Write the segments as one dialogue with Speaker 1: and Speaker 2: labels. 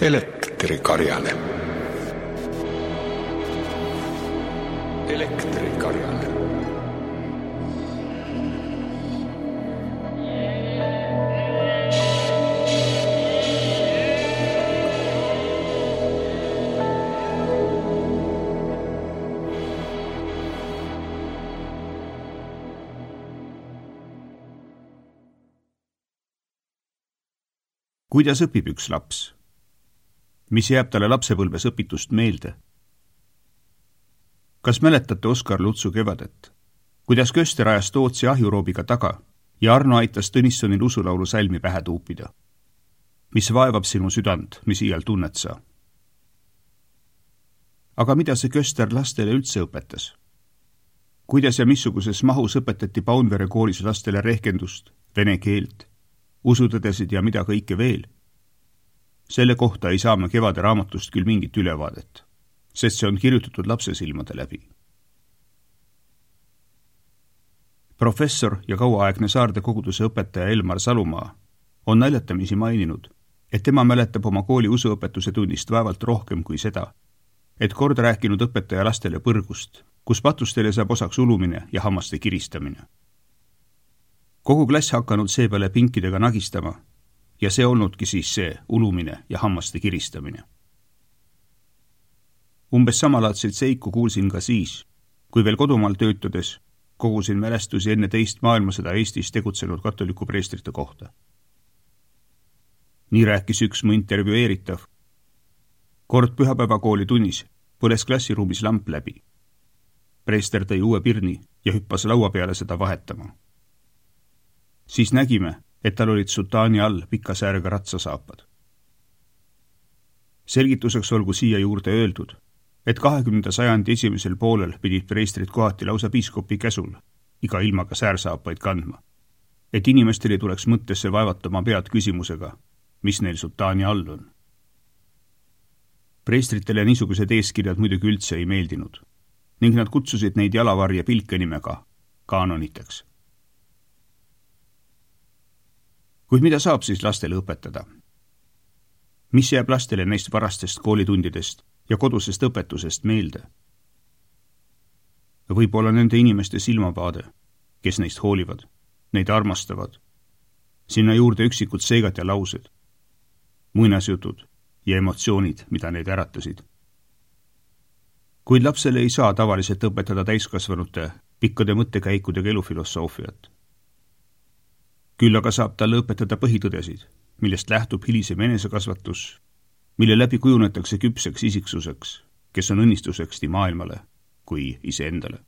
Speaker 1: Elektrikarjane. Elektrikarjane.
Speaker 2: Kuidas õpib üks laps? Mis jääb talle lapsepõlves õpitust meelde? Kas mäletate Oskar Lutsu kevadet? Kuidas Köster ajas Tootsi ahjuroobiga taga ja Arno aitas Tõnissonil usulaulu salmi pähe tuupida? Mis vaevab sinu südant, mis iial tunnet sa? Aga mida see Köster lastele üldse õpetas? Kuidas ja missuguses mahus õpetati Paunvere koolis lastele rehkendust, vene keelt, usutõdesid ja mida kõike veel? Selle kohta ei saa me kevade raamatust küll mingit ülevaadet, sest see on kirjutatud lapse silmade läbi. Professor ja kauaaegne Saarde koguduse õpetaja Elmar Salumaa on naljatamisi maininud, et tema mäletab oma kooli usuõpetuse tunnist vaevalt rohkem kui seda, et kord rääkinud õpetaja lastele põrgust, kus patustele saab osaks ulumine ja hammaste kiristamine. Kogu klass hakanud seepeale pinkidega nagistama ja see olnudki siis see ulumine ja hammaste kiristamine. Umbes samalaadseid seiku kuulsin ka siis, kui veel kodumaal töötades kogusin mälestusi enne teist maailmasõda Eestis tegutsenud katoliku preestrite kohta. Nii rääkis üks mu intervjueeritav. Kord pühapäevakooli tunnis põles klassiruumis lamp läbi. Preester tõi uue pirni ja hüppas laua peale seda vahetama. Siis nägime, et tal olid sutaani all pika säärega ratsasaapad. Selgituseks olgu siia juurde öeldud, et 20. sajandi esimesel poolel pidid preestrid kohati lausa piiskopi käsul iga ilmaga säärsaapaid kandma, et inimestel ei tuleks mõttesse vaevatama pead küsimusega, mis neil sutaani all on. Preestritele niisugused eeskirjad muidugi üldse ei meeldinud ning nad kutsusid neid jalavarje pilke nimega kaanoniteks. Kuid mida saab siis lastele õpetada? Mis jääb lastele neist varastest koolitundidest ja kodusest õpetusest meelde? Võib-olla nende inimeste silmavaade, kes neist hoolivad, neid armastavad, sinna juurde üksikud seigad ja laused, muinasjutud ja emotsioonid, mida neid äratasid. Kuid lapsele ei saa tavaliselt õpetada täiskasvanute pikkade mõttekäikudega elufilosoofiat. Küll aga saab talle õpetada põhitõdesid, millest lähtub hilisem enesekasvatus, mille läbi kujunetakse küpseks isiksuseks, kes on õnnistuseks nii maailmale kui iseendale.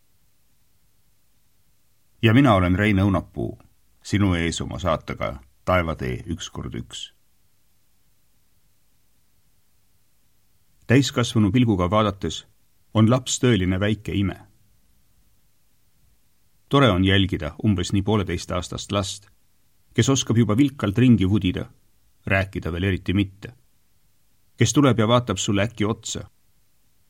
Speaker 2: Ja mina olen Rein Õunapuu, sinu ees oma saatega Taevatee 1x1. Täiskasvanu pilguga vaadates on laps tõeline väike ime. Tore on jälgida umbes nii 1,5-aastast last, kes oskab juba vilkalt ringi vudida, rääkida veel eriti mitte. Kes tuleb ja vaatab sulle äkki otsa.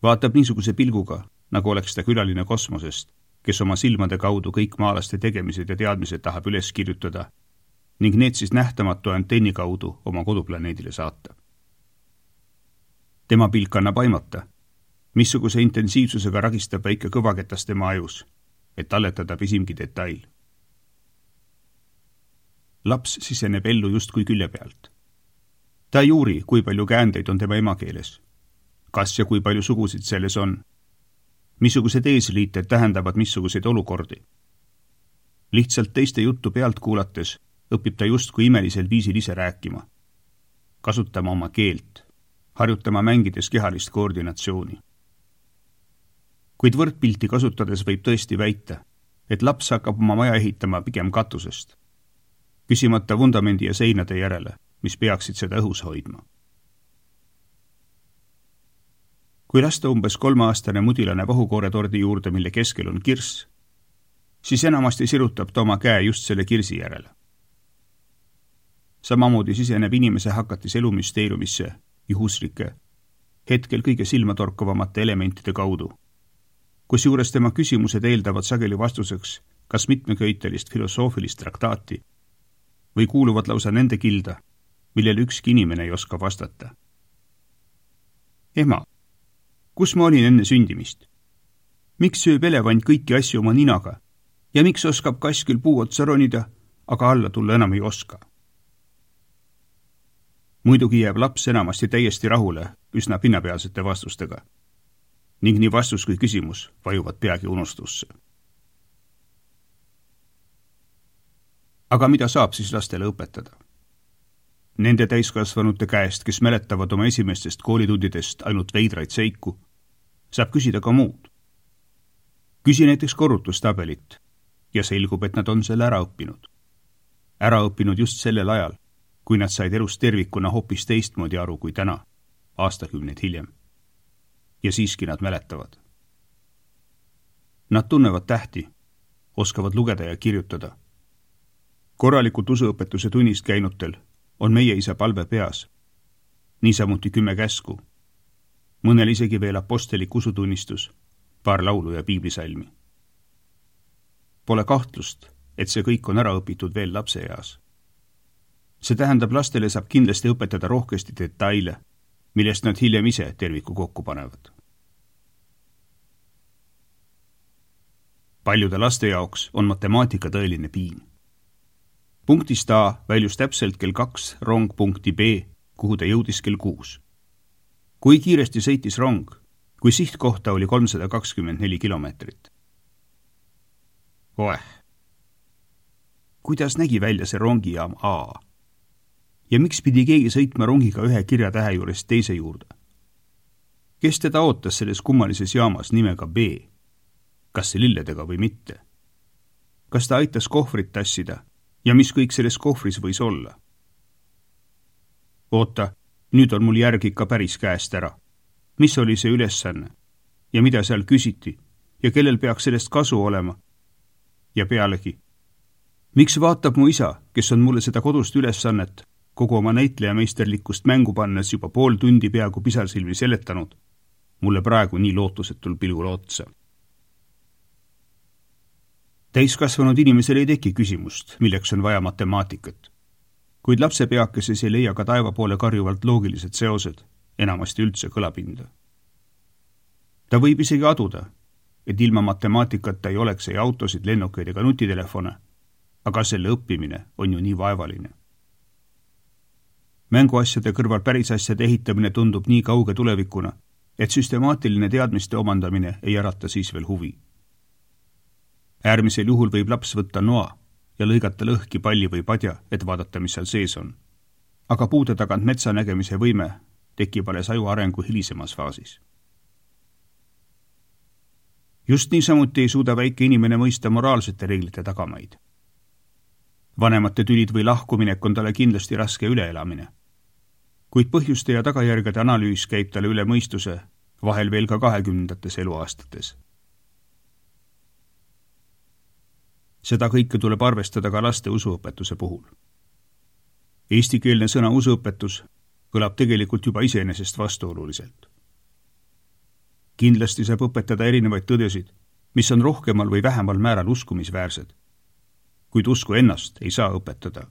Speaker 2: Vaatab niisuguse pilguga, nagu oleks ta külaline kosmosest, kes oma silmade kaudu kõik maalaste tegemised ja teadmised tahab üles kirjutada ning need siis nähtamatu antenni kaudu oma koduplaneedile saata. Tema pilk annab aimata, missuguse intensiivsusega ragistab väike kõvaketas tema ajus, et talletada pisimgi detail. Laps siseneb ellu justkui külje pealt. Ta ei uuri, kui palju käändeid on tema emakeeles, kas ja kui palju sugusid selles on, missugused eesliited tähendavad missuguseid olukordi. Lihtsalt teiste juttu pealt kuulates õpib ta justkui imelisel viisil ise rääkima, kasutama oma keelt, harjutama mängides kehalist koordinatsiooni. Kuid võrdpilti kasutades võib tõesti väita, et laps hakkab oma maja ehitama pigem katusest, küsimata vundamendi ja seinade järele, mis peaksid seda õhus hoidma. Kui lasta umbes 3-aastane mudilane vahukooretordi juurde, mille keskel on kirss, siis enamasti sirutab ta oma käe just selle kirsi järele. Samamoodi siseneb inimese hakatis elumüsteeriumisse juhuslike, hetkel kõige silmatorkavamate elementide kaudu, kus juures tema küsimused eeldavad sageli vastuseks kas mitmeköitelist filosoofilist traktaati või kuuluvad lausa nende kilda, millele ükski inimene ei oska vastata. Ema, kus ma olin enne sündimist? Miks sööb elevant kõiki asju oma ninaga ja miks oskab kass küll puu otsa ronida, aga alla tulla enam ei oska? Muidugi jääb laps enamasti täiesti rahule üsna pinnapealsete vastustega ning nii vastus kui küsimus vajuvad peagi unustusse. Aga mida saab siis lastele õpetada? Nende täiskasvanute käest, kes mäletavad oma esimestest koolitundidest ainult veidraid seiku, saab küsida ka muud. Küsi näiteks korrutustabelit ja selgub, et nad on selle ära õppinud. Ära õppinud just sellel ajal, kui nad said elust tervikuna hoopis teistmoodi aru kui täna, aastakümneid hiljem. Ja siiski nad mäletavad. Nad tunnevad tähti, oskavad lugeda ja kirjutada. Korralikult usuõpetuse tunnist käinutel on meie isa palve peas, niisamuti 10 käsku, mõnel isegi veel apostelik usutunnistus, paar laulu ja piiblisalmi. Pole kahtlust, et see kõik on ära õpitud veel lapseeas. See tähendab, lastele saab kindlasti õpetada rohkesti detaile, millest nad hiljem ise terviku kokku panevad. Paljude laste jaoks on matemaatika tõeline piin. Punktist A väljus täpselt kell 2 rong punkti B, kuhu ta jõudis kell 6. Kui kiiresti sõitis rong, kui sihtkohta oli 324 kilomeetrit. Kuidas nägi välja see rongijaam A? Ja miks pidi keegi sõitma rongiga ühe kirjatähe juurest teise juurde? Kes teda ootas selles kummalises jaamas nimega B? Kas see lilledega või mitte? Kas ta aitas kohvrit tassida ja mis kõik selles kohvris võis olla? Oota, nüüd on mul järg ikka päris käest ära. Mis oli see ülesanne ja mida seal küsiti ja kellel peaks sellest kasu olema? Ja pealegi, miks vaatab mu isa, kes on mulle seda kodust ülesannet kogu oma näitlejameisterlikkust mängu pannes juba pool tundi peaaegu pisarsilmi seletanud, mulle praegu nii lootusetul pilgul otsa? Täiskasvanud inimesel ei teki küsimust, milleks on vaja matemaatikat, kuid lapse peakeses ei leia ka taeva poole karjuvalt loogilised seosed, enamasti üldse kõlapinda. Ta võib isegi aduda, et ilma matemaatikata ei oleks ei autosid, lennukeid ega nutitelefone, aga selle õppimine on ju nii vaevaline. Mänguasjade kõrval päris asjade ehitamine tundub nii kauge tulevikuna, et süstemaatiline teadmiste omandamine ei ärata siis veel huvi. Äärmisel juhul võib laps võtta noa ja lõigata lõhki palli või padja, et vaadata, mis seal sees on. Aga puude tagant metsa nägemise võime tekib alles aju arengu hilisemas faasis. Just niisamuti ei suuda väike inimene mõista moraalsete reeglite tagamaid. Vanemate tülid või lahkuminek on talle kindlasti raske üleelamine. Kuid põhjuste ja tagajärgede analüüs käib talle üle mõistuse, vahel veel ka 20. eluaastates. Seda kõike tuleb arvestada ka laste usuõpetuse puhul. Eestikeelne sõna usuõpetus kõlab tegelikult juba iseenesest vastuoluliselt. Kindlasti saab õpetada erinevaid tõdesid, mis on rohkemal või vähemal määral uskumisväärsed. Kuid usku ennast ei saa õpetada.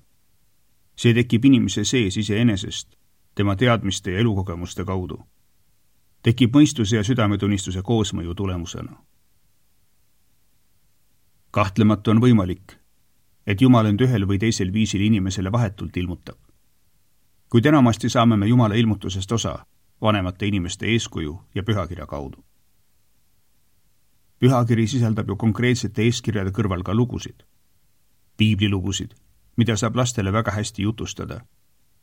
Speaker 2: See tekib inimese sees iseenesest, tema teadmiste ja elukogemuste kaudu. Tekib mõistuse ja südametunnistuse koosmõju tulemusena. Kahtlemata on võimalik, et Jumal end ühel või teisel viisil inimesele vahetult ilmutab. Kuid enamasti saame me Jumala ilmutusest osa vanemate inimeste eeskuju ja pühakirja kaudu. Pühakiri sisaldab ju konkreetsete eeskirjade kõrval ka lugusid. Piiblilugusid, mida saab lastele väga hästi jutustada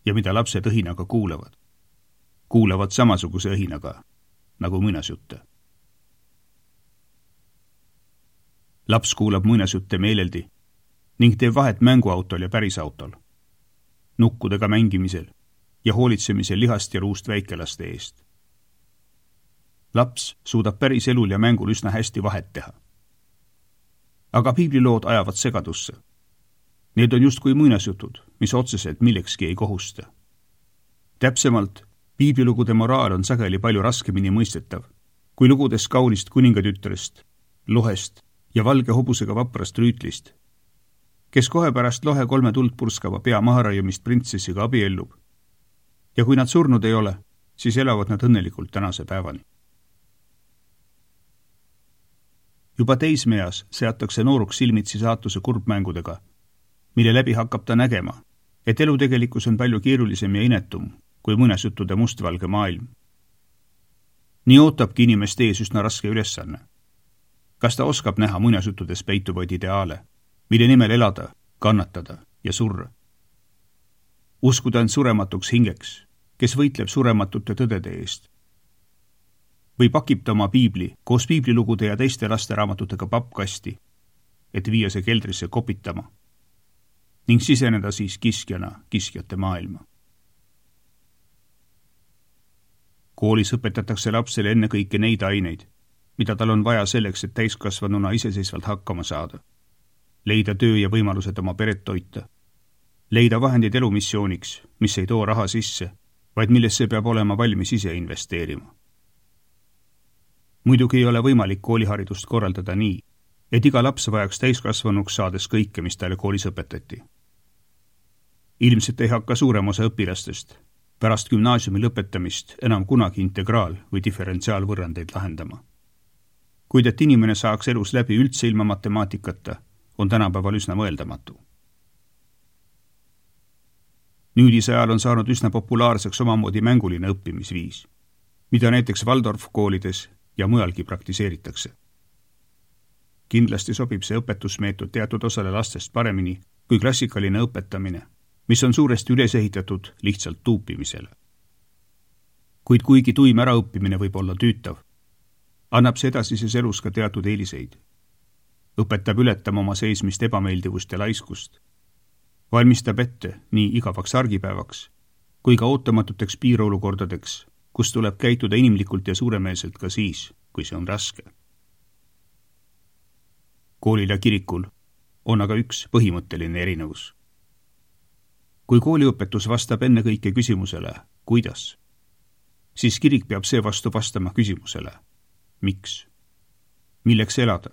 Speaker 2: ja mida lapsed õhinaga kuulevad. Kuulevad samasuguse õhinaga, nagu muinasjutte. Laps kuulab muinasjutte meeleldi ning teeb vahet mänguautol ja pärisautol, nukkudega mängimisel ja hoolitsemisel lihast ja ruust väikelaste eest. Laps suudab päris elul ja mängul üsna hästi vahet teha. Aga piiblilood ajavad segadusse. Need on justkui muinasjutud, mis otseselt millekski ei kohusta. Täpsemalt, piiblilugude moraal on sageli palju raskemini mõistetav, kui lugudes kaunist kuningatütrest, lohest ja valge hobusega vaprast rüütlist, kes kohe pärast lohe 3 tuld purskava pea maharaiumist printsessiga abiellub ja kui nad surnud ei ole, siis elavad nad õnnelikult tänase päevani. Juba teismeeas seatakse nooruks silmitsi saatuse kurbmängudega, mille läbi hakkab ta nägema, et elu tegelikkus on palju keerulisem ja inetum kui muinasjuttude mustvalge maailm. Nii ootabki inimest ees üsna raske ülesanne. Kas ta oskab näha muinasjuttudes peituvaid ideaale, mille nimel elada, kannatada ja surra? Uskuda end surematuks hingeks, kes võitleb surematute tõdede eest. Või pakib ta oma piibli koos piiblilugude ja teiste lasteraamatutega pappkasti, et viia see keldrisse kopitama ning siseneda siis kiskjana kiskjate maailma. Koolis õpetatakse lapsele ennekõike neid aineid, mida tal on vaja selleks, et täiskasvanuna iseseisvalt hakkama saada, leida töö ja võimalused oma peret toita, leida vahendid elumissiooniks, mis ei too raha sisse, vaid millesse peab olema valmis ise investeerima. Muidugi ei ole võimalik kooliharidust korraldada nii, et iga laps vajaks täiskasvanuks saades kõike, mis talle koolis õpetati. Ilmselt ei hakka suurem osa õpilastest pärast gümnaasiumi lõpetamist enam kunagi integraal- või diferentsiaalvõrrandeid lahendama. Kuid et inimene saaks elus läbi üldse ilma matemaatikata, on tänapäeval üsna mõeldamatu. Nüüdise ajal on saanud üsna populaarseks omamoodi mänguline õppimisviis, mida näiteks Waldorf koolides ja mujalgi praktiseeritakse. Kindlasti sobib see õpetusmeetod teatud osale lastest paremini kui klassikaline õpetamine, mis on suuresti üles ehitatud lihtsalt tuupimisele. Kuid kuigi tuim äraõppimine võib olla tüütav, annab see edasises elus ka teatud eeliseid. Õpetab ületama oma seismist ebameeldivust ja laiskust, valmistab ette nii igavaks argipäevaks kui ka ootamatuteks piirolukordadeks, kus tuleb käituda inimlikult ja suuremeelselt ka siis, kui see on raske. Koolil ja kirikul on aga üks põhimõtteline erinevus. Kui kooliõpetus vastab ennekõike küsimusele, kuidas, siis kirik peab seevastu vastama küsimusele, miks, milleks elada,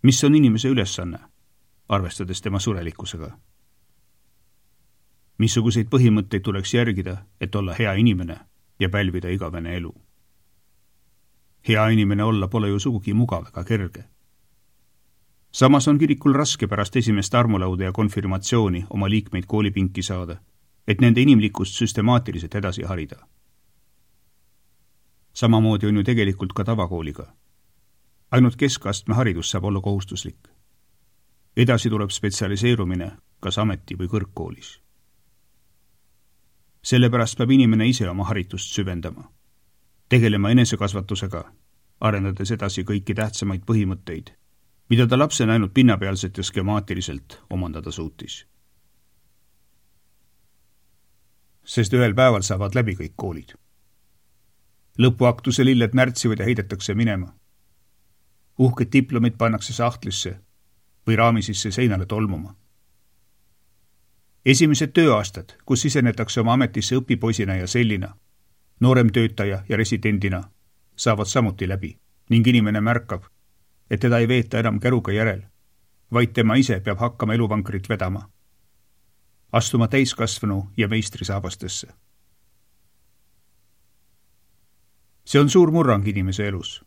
Speaker 2: mis on inimese ülesanne, arvestades tema surelikkusega. Missuguseid põhimõtteid tuleks järgida, et olla hea inimene ja pälvida igavene elu. Hea inimene olla pole ju sugugi mugav ega kerge. Samas on kirikul raske pärast esimest armulauda ja konfirmatsiooni oma liikmeid koolipinki saada, et nende inimlikkust süstemaatiliselt edasi harida. Samamoodi on ju tegelikult ka tavakooliga. Ainult keskastme haridus saab olla kohustuslik. Edasi tuleb spetsialiseerumine kas ameti- või kõrgkoolis. Sellepärast peab inimene ise oma haritust süvendama, tegelema enesekasvatusega, arendades edasi kõiki tähtsamaid põhimõtteid, mida ta lapsena ainult pinnapealselt ja skemaatiliselt omandada suutis. Sest ühel päeval saavad läbi kõik koolid. Lõpuaktuse lilled närtsivad ja heidetakse minema. Uhked diplomid pannakse sahtlisse või raami sisse seinale tolmuma. Esimesed tööaastad, kus sisenetakse oma ametisse õpipoisina ja sellina, noorem töötaja ja residendina, saavad samuti läbi ning inimene märkab, et teda ei veeta enam käruga järel, vaid tema ise peab hakkama eluvankrit vedama, astuma täiskasvanu ja meistri saabastesse. See on suur murrang inimese elus,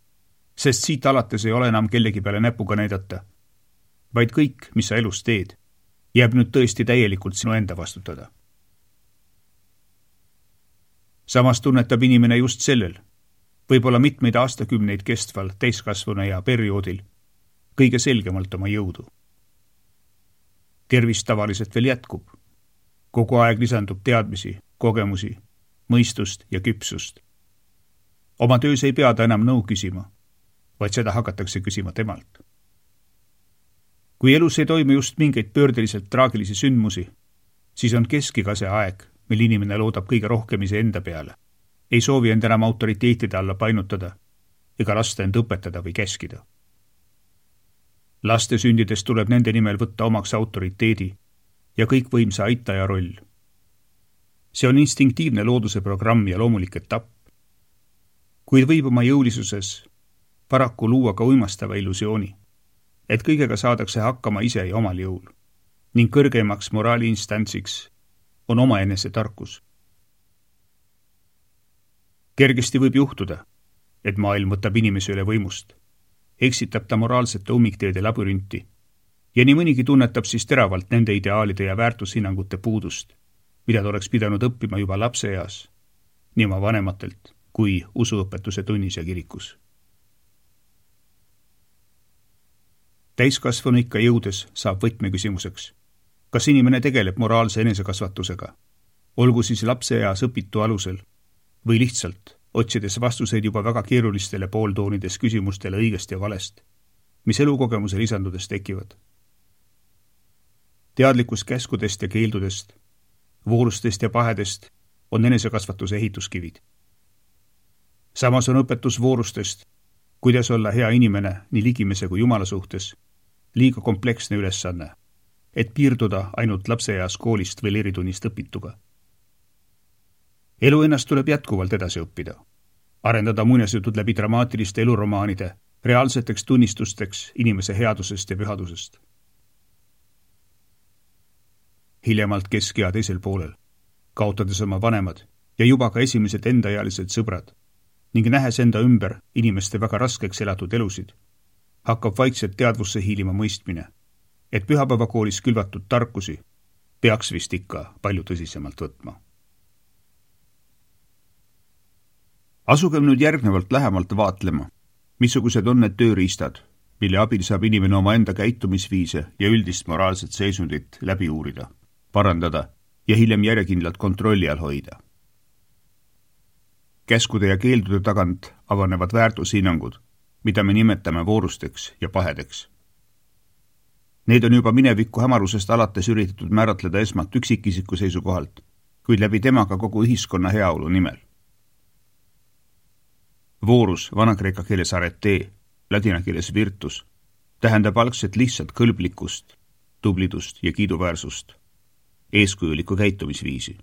Speaker 2: sest siit alates ei ole enam kellegi peale näpuga näidata, vaid kõik, mis sa elus teed, jääb nüüd tõesti täielikult sinu enda vastutada. Samas tunnetab inimene just sellel, võib-olla mitmeid aastakümneid kestval täiskasvanu ja perioodil kõige selgemalt oma jõudu. Tervis tavaliselt veel jätkub. Kogu aeg lisandub teadmisi, kogemusi, mõistust ja küpsust. Oma töös ei pea ta enam nõu küsima, vaid seda hakatakse küsima temalt. Kui elus ei toimu just mingeid pöördeliselt traagilisi sündmusi, siis on keskiga see aeg, mil inimene loodab kõige rohkem iseenda peale. Ei soovi end enam autoriteetide alla painutada ega lasta end õpetada või käskida. Laste sündides tuleb nende nimel võtta omaks autoriteedi ja kõikvõimsa aitaja roll. See on instinktiivne looduse programm ja loomulik etapp. Kuid võib oma jõulisuses paraku luua ka uimastava illusiooni, et kõigega saadakse hakkama ise ja omal jõul ning kõrgemaks moraaliinstantsiks on omaenese tarkus. Kergesti võib juhtuda, et maailm võtab inimese üle võimust, eksitab ta moraalsete ummikteede labürünti ja nii mõnigi tunnetab siis teravalt nende ideaalide ja väärtushinnangute puudust, mida ta oleks pidanud õppima juba lapseeas, nii oma vanematelt kui usuõpetuse tunnis ja kirikus. Täiskasvanu ikka jõudes saab võtmeküsimuseks, kas inimene tegeleb moraalse enesekasvatusega, olgu siis lapseeas õpitu alusel või lihtsalt otsides vastuseid juba väga keerulistele pooltoonides küsimustele õigest ja valest, mis elukogemuse lisandudes tekivad. Teadlikkus käskudest ja keeldudest, voorustest ja pahedest on enesekasvatuse ehituskivid. Samas on õpetus voorustest, kuidas olla hea inimene nii ligimese kui Jumala suhtes, liiga kompleksne ülesanne, et piirduda ainult lapseeas koolist või leeritunnist õpituga. Elu ennast tuleb jätkuvalt edasi õppida, arendada muinasjutud läbi dramaatiliste eluromaanide, reaalseteks tunnistusteks inimese headusest ja pühadusest. Hiljemalt keskea teisel poolel, kaotades oma vanemad ja juba ka esimesed endaealised sõbrad ning nähes enda ümber inimeste väga raskeks elatud elusid, hakkab vaikselt teadvusse hiilima mõistmine, et pühapäevakoolis külvatud tarkusi peaks vist ikka palju tõsisemalt võtma. Asugem nüüd järgnevalt lähemalt vaatlema, missugused on need tööriistad, mille abil saab inimene oma enda käitumisviise ja üldist moraalset seisundit läbi uurida, parandada ja hiljem järjekindlalt kontrolli all hoida. Käskude ja keeldude tagant avanevad väärtushinnangud, mida me nimetame voorusteks ja pahedeks. Need on juba mineviku hämarusest alates üritatud määratleda esmalt üksikisiku seisukohalt, kuid läbi temaga kogu ühiskonna heaolu nimel. Voorus, vana-kreeka keeles arete, ladina keeles virtus, tähendab algselt lihtsalt kõlblikkust, tublidust ja kiiduväärsust, eeskujulikku käitumisviisi.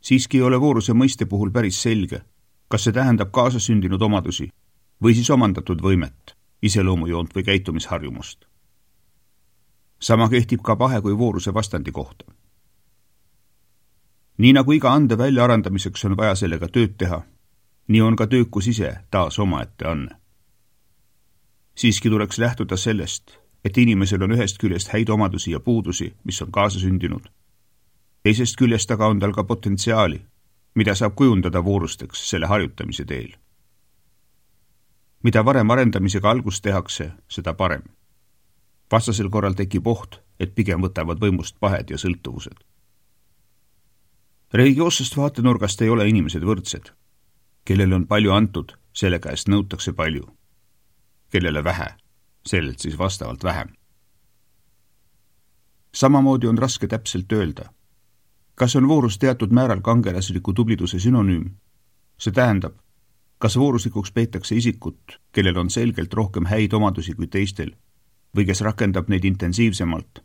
Speaker 2: Siiski ei ole vooruse mõiste puhul päris selge, kas see tähendab kaasasündinud omadusi või siis omandatud võimet, iseloomujoont või käitumisharjumust. Sama kehtib ka pahe kui vooruse vastandi kohta. Nii nagu iga ande väljaarendamiseks on vaja sellega tööd teha, nii on ka töökus ise taas omaette anne. Siiski tuleks lähtuda sellest, et inimesel on ühest küljest häid omadusi ja puudusi, mis on kaasasündinud. Teisest küljest aga on tal ka potentsiaali, mida saab kujundada voorusteks selle harjutamise teel. Mida varem arendamisega algust tehakse, seda parem. Vastasel korral tekib oht, et pigem võtavad võimust pahed ja sõltuvused. Religioossest vaatenurgast ei ole inimesed võrdsed. Kellele on palju antud, selle käest nõutakse palju. Kellele vähe, sellelt siis vastavalt vähem. Samamoodi on raske täpselt öelda, kas on voorus teatud määral kangelasliku tubliduse sünonüüm? See tähendab, kas vooruslikuks peetakse isikut, kellel on selgelt rohkem häid omadusi kui teistel, või kes rakendab neid intensiivsemalt,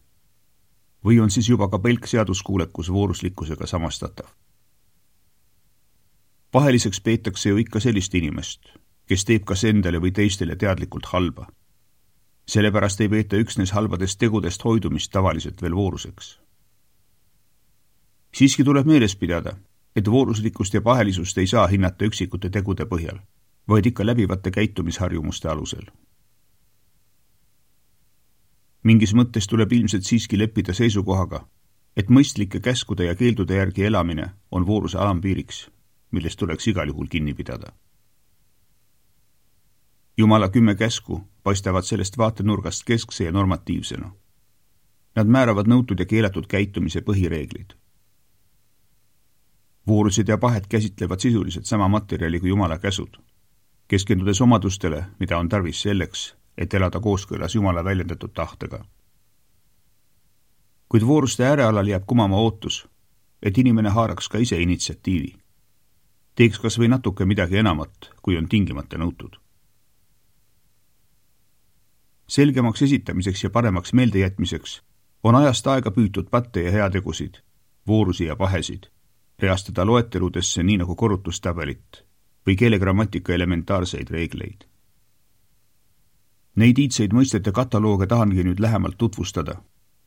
Speaker 2: või on siis juba ka pelk seaduskuulekus vooruslikkusega samastatav. Paheliseks peetakse ju ikka sellist inimest, kes teeb kas endale või teistele teadlikult halba. Sellepärast ei peeta üksnes halbadest tegudest hoidumist tavaliselt veel vooruseks. Siiski tuleb meeles pidada, et vooruslikkust ja pahelisust ei saa hinnata üksikute tegude põhjal, vaid ikka läbivate käitumisharjumuste alusel. Mingis mõttes tuleb ilmselt siiski leppida seisukohaga, et mõistlike käskude ja keeldude järgi elamine on vooruse alampiiriks, millest tuleks igal juhul kinni pidada. Jumala 10 käsku paistavad sellest vaatenurgast keskse ja normatiivsena. Nad määravad nõutud ja keelatud käitumise põhireeglid. Voorused ja pahed käsitlevad sisuliselt sama materjali kui Jumala käsud, keskendudes omadustele, mida on tarvis selleks, et elada kooskõlas Jumala väljendatud tahtega. Kuid vooruste äärealal jääb kumama ootus, et inimene haaraks ka ise initsiatiivi. Teeks kas või natuke midagi enamat, kui on tingimata nõutud. Selgemaks esitamiseks ja paremaks meeldejätmiseks on ajast aega püütud patte ja heategusid, voorusi ja pahesid, reastada loeteludesse nii nagu korrutustabelit või keelegrammatika elementaarseid reegleid. Neid iidseid mõistete katalooge tahangi nüüd lähemalt tutvustada,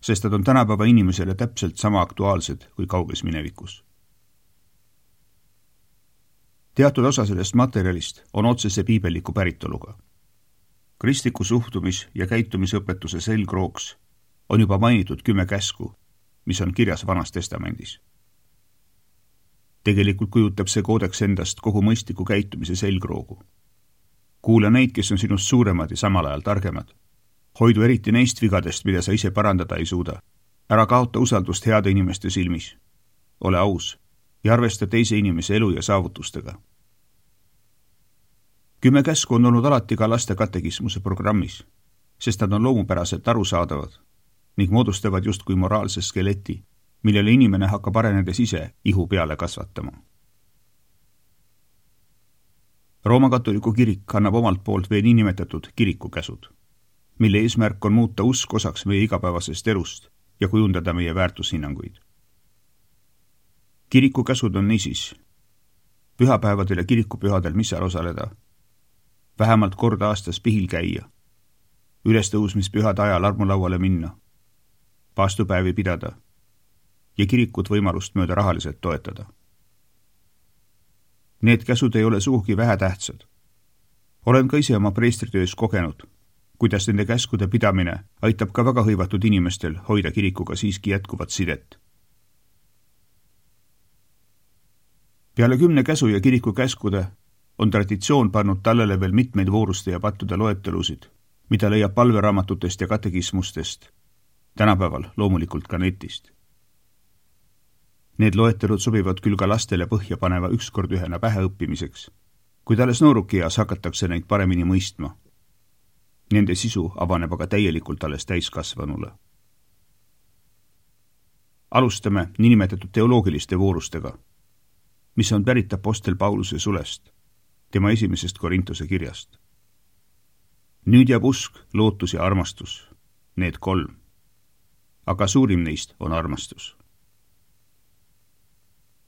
Speaker 2: sest nad on tänapäeva inimesele täpselt sama aktuaalsed kui kauges minevikus. Teatud osa sellest materjalist on otsese piibelliku päritoluga. Kristliku suhtumis- ja käitumisõpetuse selgrooks on juba mainitud 10 käsku, mis on kirjas Vanas Testamendis. Tegelikult kujutab see koodeks endast kogu mõistliku käitumise selgroogu. Kuula neid, kes on sinust suuremad ja samal ajal targemad. Hoidu eriti neist vigadest, mida sa ise parandada ei suuda. Ära kaota usaldust heade inimeste silmis. Ole aus ja arvesta teise inimese elu ja saavutustega. 10 käsku on olnud alati ka laste katekismuse programmis, sest nad on loomupäraselt arusaadavad ning moodustavad justkui moraalse skeleti, millele inimene hakkab arenedes ise ihu peale kasvatama. Rooma katoliku kirik annab omalt poolt veel niinimetatud kirikukäsud, mille eesmärk on muuta usk osaks meie igapäevasest elust ja kujundada meie väärtushinnanguid. Kirikukäsud on niisiis pühapäevadel ja kirikupühadel missal osaleda, vähemalt kord aastas pihil käia, ülestõusmispühade ajal armulauale minna, paastupäevi pidada ja kirikut võimalust mööda rahaliselt toetada. Need käsud ei ole sugugi vähetähtsad. Olen ka ise oma preestritöös kogenud, kuidas nende käskude pidamine aitab ka väga hõivatud inimestel hoida kirikuga siiski jätkuvat sidet. Peale 10 käsu ja kiriku käskude on traditsioon pannud tallele veel mitmeid vooruste ja pattude loetelusid, mida leiab palveraamatutest ja katekismustest, tänapäeval loomulikult ka netist. Need loetelud sobivad küll ka lastele põhja paneva ükskord ühena pähe õppimiseks, kuid alles noorukeas hakatakse neid paremini mõistma. Nende sisu avaneb aga täielikult alles täiskasvanule. Alustame niinimetatud teoloogiliste voorustega, mis on pärit apostel Pauluse sulest, tema 1. Korintuse kirjast. Nüüd jääb usk, lootus ja armastus, need 3. Aga suurim neist on armastus.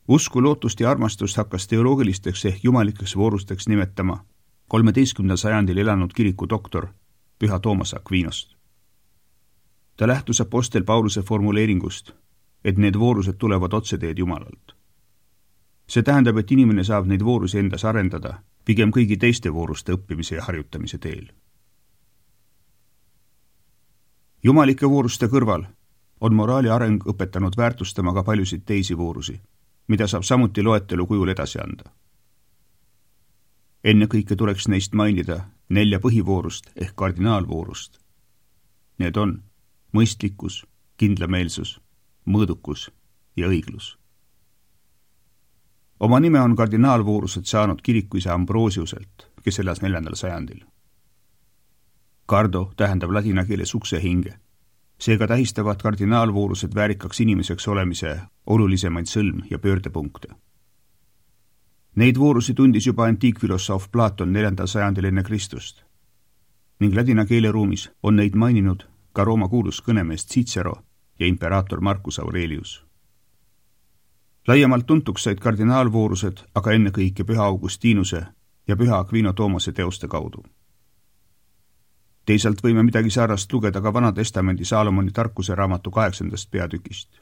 Speaker 2: Usku, lootust ja armastust hakkas teoloogilisteks ehk jumalikeks voorusteks nimetama 13. sajandil elanud kiriku doktor Püha Toomas Aquinost. Ta lähtus apostel Pauluse formuleeringust, et need voorused tulevad otseteed Jumalalt. See tähendab, et inimene saab neid voorusi endas arendada pigem kõigi teiste vooruste õppimise ja harjutamise teel. Jumalike vooruste kõrval on moraali areng õpetanud väärtustama ka paljusid teisi voorusi, mida saab samuti loetelu kujul edasi anda. Enne kõike tuleks neist mainida 4 põhivoorust ehk kardinaalvoorust. Need on mõistlikkus, kindlameelsus, mõõdukus ja õiglus. Oma nime on kardinaalvoorused saanud kirikuisa Ambrosiuselt, kes elas 4. sajandil. Cardo tähendab ladina keeles uksehinge. Seega tähistavad kardinaalvoorused väärikaks inimeseks olemise olulisemaid sõlm- ja pöördepunkte. Neid voorusi tundis juba antiikfilosoof Platon 4. sajandil enne Kristust ning ladina keeleruumis on neid maininud ka Rooma kuulus kõnemees Cicero ja imperaator Marcus Aurelius. Laiemalt tuntuks said kardinaalvoorused aga ennekõike Püha Augustinuse ja Püha Aquino Toomase teoste kaudu. Teisalt võime midagi sarnast lugeda ka Vana Testamendi Saalomoni tarkuse raamatu 8. peatükist.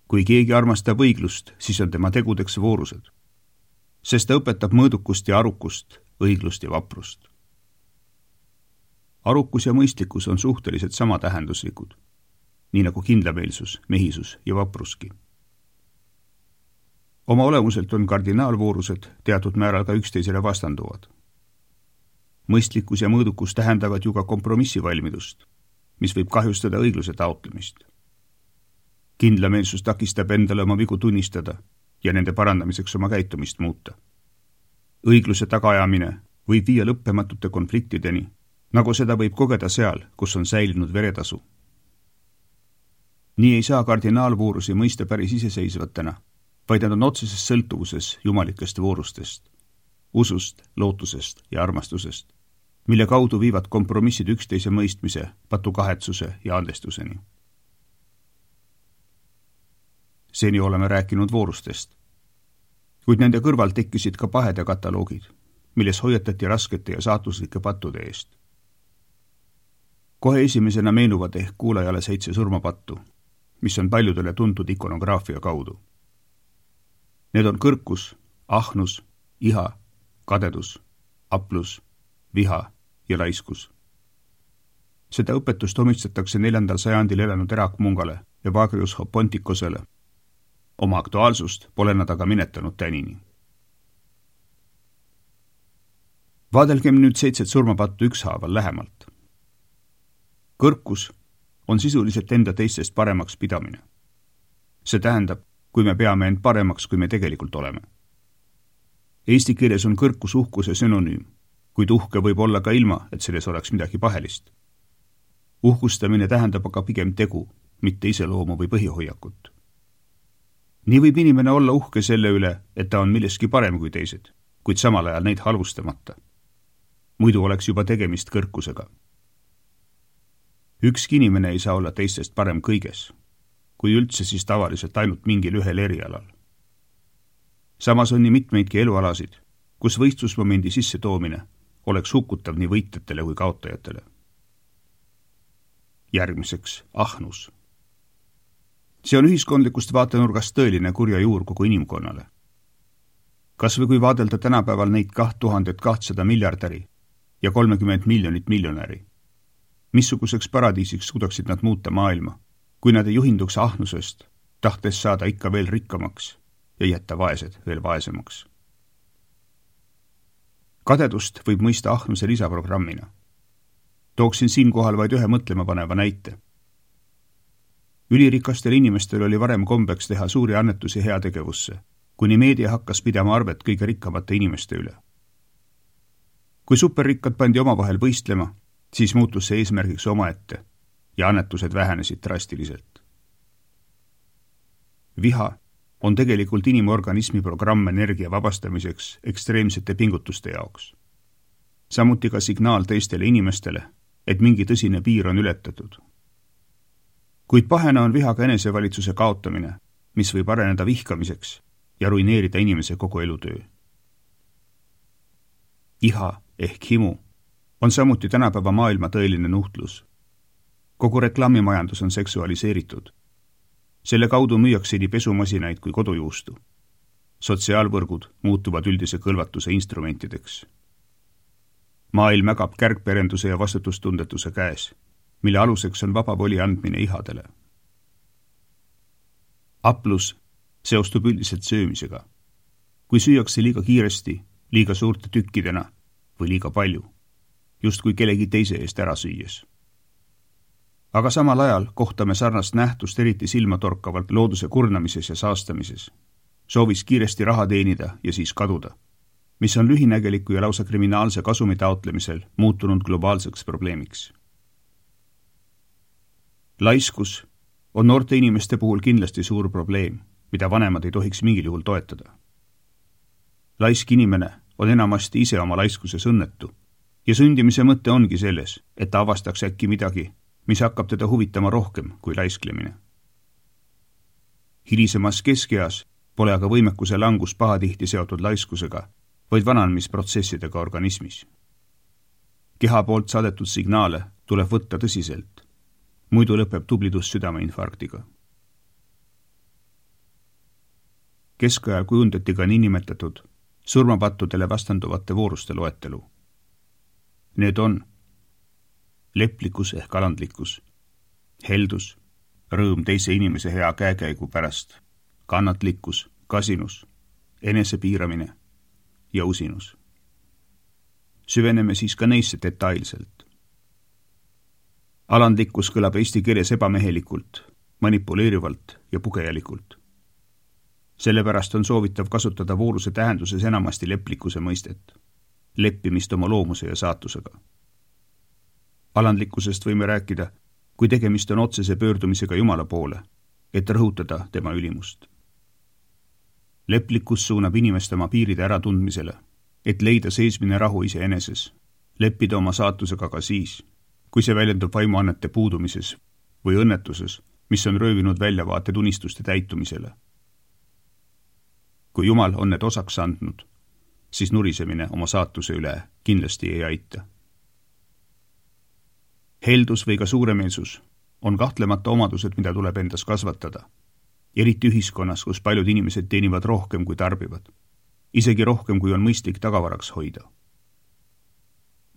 Speaker 2: Kui keegi armastab õiglust, siis on tema tegudeks voorused, sest ta õpetab mõõdukust ja arukust, õiglust ja vaprust. Arukus ja mõistlikkus on suhteliselt sama tähenduslikud, nii nagu kindlameelsus, mehisus ja vapruski. Oma olemuselt on kardinaalvoorused teatud määral ka üksteisele vastanduvad. Mõistlikkus ja mõõdukus tähendavad ju ka kompromissivalmidust, mis võib kahjustada õigluse taotlemist. Kindlameelsus takistab endale oma vigu tunnistada ja nende parandamiseks oma käitumist muuta. Õigluse tagaajamine võib viia lõppematute konfliktideni, nagu seda võib kogeda seal, kus on säilinud veretasu. Nii ei saa kardinaalvoorusi mõista päris iseseisvatena, vaid nad on otseses sõltuvuses jumalikest voorustest, usust, lootusest ja armastusest, mille kaudu viivad kompromissid üksteise mõistmise, patukahetsuse ja andestuseni. Seni oleme rääkinud voorustest, kuid nende kõrval tekkisid ka pahede kataloogid, milles hoiatati raskete ja saatuslike pattude eest. Kohe esimesena meenuvad ehk kuulajale 7 surmapattu, mis on paljudele tuntud ikonograafia kaudu. Need on kõrkus, ahnus, iha, kadedus, aplus, viha ja laiskus. Seda õpetust omistatakse 4. sajandil elanud Erakmungale ja Vagrius Pontikosele. Oma aktuaalsust pole nad aga minetanud tänini. Vaadelgem nüüd 7 surmapattu ükshaaval lähemalt. Kõrkus on sisuliselt enda teistest paremaks pidamine. See tähendab, kui me peame end paremaks, kui me tegelikult oleme. Eesti keeles on kõrkus uhkuse sünonüüm, kuid uhke võib olla ka ilma, et selles oleks midagi pahelist. Uhkustamine tähendab aga pigem tegu, mitte iseloomu või põhihoiakut. Nii võib inimene olla uhke selle üle, et ta on milleski parem kui teised, kuid samal ajal neid halvustamata. Muidu oleks juba tegemist kõrkusega. Ükski inimene ei saa olla teistest parem kõiges, kui üldse siis tavaliselt ainult mingil ühel erialal. Samas on nii mitmeidki elualasid, kus võistlusmomendi sissetoomine oleks hukutav nii võitjatele kui kaotajatele. Järgmiseks ahnus. See on ühiskondlikust vaatenurgast tõeline kurja juur kogu inimkonnale. Kas või kui vaadelda tänapäeval neid 2200 miljardäri ja 30 miljonit miljonäri. Missuguseks paradiisiks suudaksid nad muuta maailma, kui nad ei juhinduks ahnusest, tahtes saada ikka veel rikkamaks ja jätta vaesed veel vaesemaks. Kadedust võib mõista ahnuse lisaprogrammina. Tooksin siinkohal vaid ühe mõtlemapaneva näite. Ülirikastel inimestel oli varem kombeks teha suuri annetusi heategevusse, kuni meedia hakkas pidama arvet kõige rikkamate inimeste üle. Kui superrikkad pandi omavahel võistlema, siis muutus see eesmärgiks omaette ja annetused vähenesid drastiliselt. Viha on tegelikult inimorganismi programm energia vabastamiseks ekstreemsete pingutuste jaoks. Samuti ka signaal teistele inimestele, et mingi tõsine piir on ületatud. Kuid pahena on vihaga enesevalitsuse kaotamine, mis võib areneda vihkamiseks ja ruineerida inimese kogu elutöö. Iha ehk himu on samuti tänapäeva maailma tõeline nuhtlus. Kogu reklaamimajandus on seksualiseeritud. Selle kaudu müüakse nii pesumasinaid kui kodujuustu. Sotsiaalvõrgud muutuvad üldise kõlvatuse instrumentideks. Maailm ägab kärgperenduse ja vastutustundetuse käes, mille aluseks on vaba voli andmine ihadele. Aplus seostub üldiselt söömisega. Kui süüakse liiga kiiresti, liiga suurte tükkidena või liiga palju, justkui kellegi teise eest ära süües. Aga samal ajal kohtame sarnast nähtust eriti silmatorkavalt looduse kurnamises ja saastamises, soovis kiiresti raha teenida ja siis kaduda, mis on lühinägeliku ja lausa kriminaalse kasumi taotlemisel muutunud globaalseks probleemiks. Laiskus on noorte inimeste puhul kindlasti suur probleem, mida vanemad ei tohiks mingil juhul toetada. Laisk inimene on enamasti ise oma laiskuses õnnetu ja sündimise mõte ongi selles, et ta avastaks äkki midagi, mis hakkab teda huvitama rohkem kui laisklemine. Hilisemas keskeas pole aga võimekuse langus pahatihti seotud laiskusega, vaid vananemisprotsessidega organismis. Keha poolt saadetud signaale tuleb võtta tõsiselt, muidu lõpeb tublidus südameinfarktiga. Keskajal kujundati ka niinimetatud surmapattudele vastanduvate vooruste loetelu. Need on leplikkus ehk alandlikkus, heldus, rõõm teise inimese hea käekäigu pärast, kannatlikkus, kasinus, enesepiiramine ja usinus. Süveneme siis ka neisse detailselt. Alandlikkus kõlab eesti keeles ebamehelikult, manipuleerivalt ja pugejalikult. Sellepärast on soovitav kasutada vooruse tähenduses enamasti leplikkuse mõistet, leppimist oma loomuse ja saatusega. Alandlikkusest võime rääkida, kui tegemist on otsese pöördumisega Jumala poole, et rõhutada tema ülimust. Leplikkus suunab inimest oma piiride äratundmisele, et leida seesmine rahu iseeneses, leppida oma saatusega ka siis, kui see väljendub vaimuannete puudumises või õnnetuses, mis on röövinud väljavaated unistuste täitumisele. Kui Jumal on need osaks andnud, siis nurisemine oma saatuse üle kindlasti ei aita. Heldus või ka suuremeelsus on kahtlemata omadused, mida tuleb endas kasvatada, eriti ühiskonnas, kus paljud inimesed teenivad rohkem kui tarbivad. isegi rohkem, kui on mõistlik tagavaraks hoida.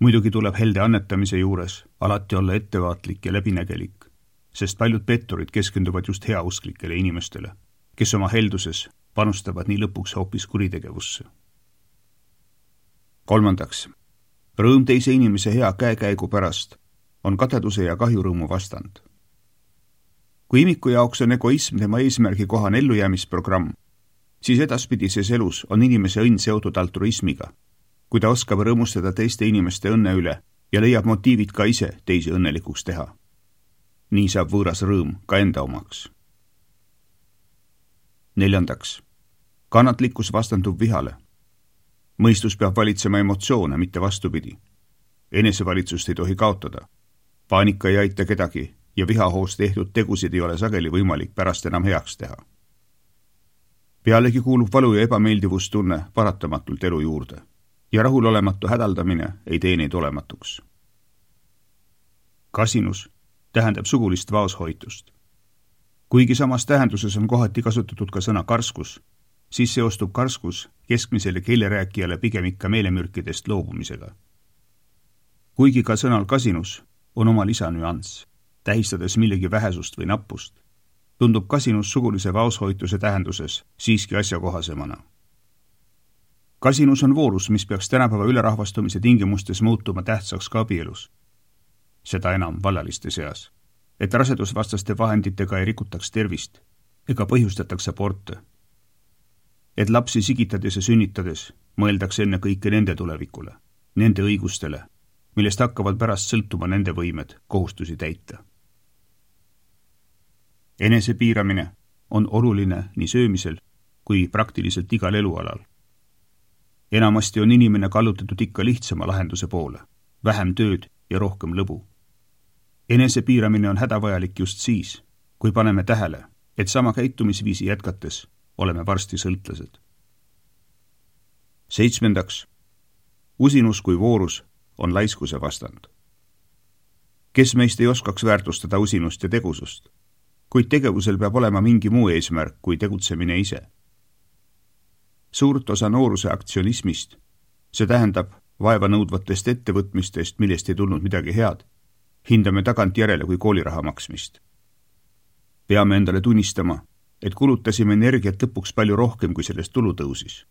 Speaker 2: Muidugi tuleb helde annetamise juures alati olla ettevaatlik ja läbinägelik, sest paljud petturid keskenduvad just heausklikele inimestele, kes oma helduses panustavad nii lõpuks hoopis kuritegevusse. 3. Rõõm teise inimese hea käekäigu pärast on kadeduse ja kahjurõõmu vastand. Kui imiku jaoks on egoism tema eesmärgi kohane ellujäämisprogramm, siis edaspidises elus on inimese õnn seotud altruismiga, kui ta oskab rõõmustada teiste inimeste õnne üle ja leiab motiivid ka ise teisi õnnelikuks teha. Nii saab võõras rõõm ka enda omaks. 4. Kannatlikkus vastandub vihale. Mõistus peab valitsema emotsioone, mitte vastupidi. Enesevalitsust ei tohi kaotada. Paanika ei aita kedagi ja vihahoos tehtud tegusid ei ole sageli võimalik pärast enam heaks teha. Pealegi kuulub valu ja ebameeldivustunne paratamatult elu juurde ja rahulolematu hädaldamine ei tee neid olematuks. Kasinus tähendab sugulist vaoshoitust. Kuigi samas tähenduses on kohati kasutatud ka sõna karskus, siis seostub karskus keskmisele keelerääkijale pigem ikka meelemürkidest loobumisega. Kuigi ka sõnal kasinus on oma lisanüanss, tähistades millegi vähesust või nappust, tundub kasinus sugulise vaoshoituse tähenduses siiski asjakohasemana. Kasinus on voorus, mis peaks tänapäeva ülerahvastumise tingimustes muutuma tähtsaks ka abielus. Seda enam vallaliste seas, et rasedusvastaste vahenditega ei rikutaks tervist ega põhjustataks aborte. Et lapsi sigitades ja sünnitades mõeldakse enne kõike nende tulevikule, nende õigustele, millest hakkavad pärast sõltuma nende võimed kohustusi täita. Enesepiiramine on oluline nii söömisel kui praktiliselt igal elualal. Enamasti on inimene kallutatud ikka lihtsama lahenduse poole, vähem tööd ja rohkem lõbu. Enesepiiramine on hädavajalik just siis, kui paneme tähele, et sama käitumisviisi jätkates oleme varsti sõltlased. 7. Usinus kui voorus on laiskuse vastand. Kes meist ei oskaks väärtustada usinust ja tegusust, kuid tegevusel peab olema mingi muu eesmärk kui tegutsemine ise. Suurt osa nooruse aktsionismist, see tähendab vaeva nõudvatest ettevõtmistest, millest ei tulnud midagi head, hindame tagantjärele kui kooliraha maksmist. Peame endale tunnistama, et kulutasime energiat lõpuks palju rohkem, kui sellest tulu tõusis,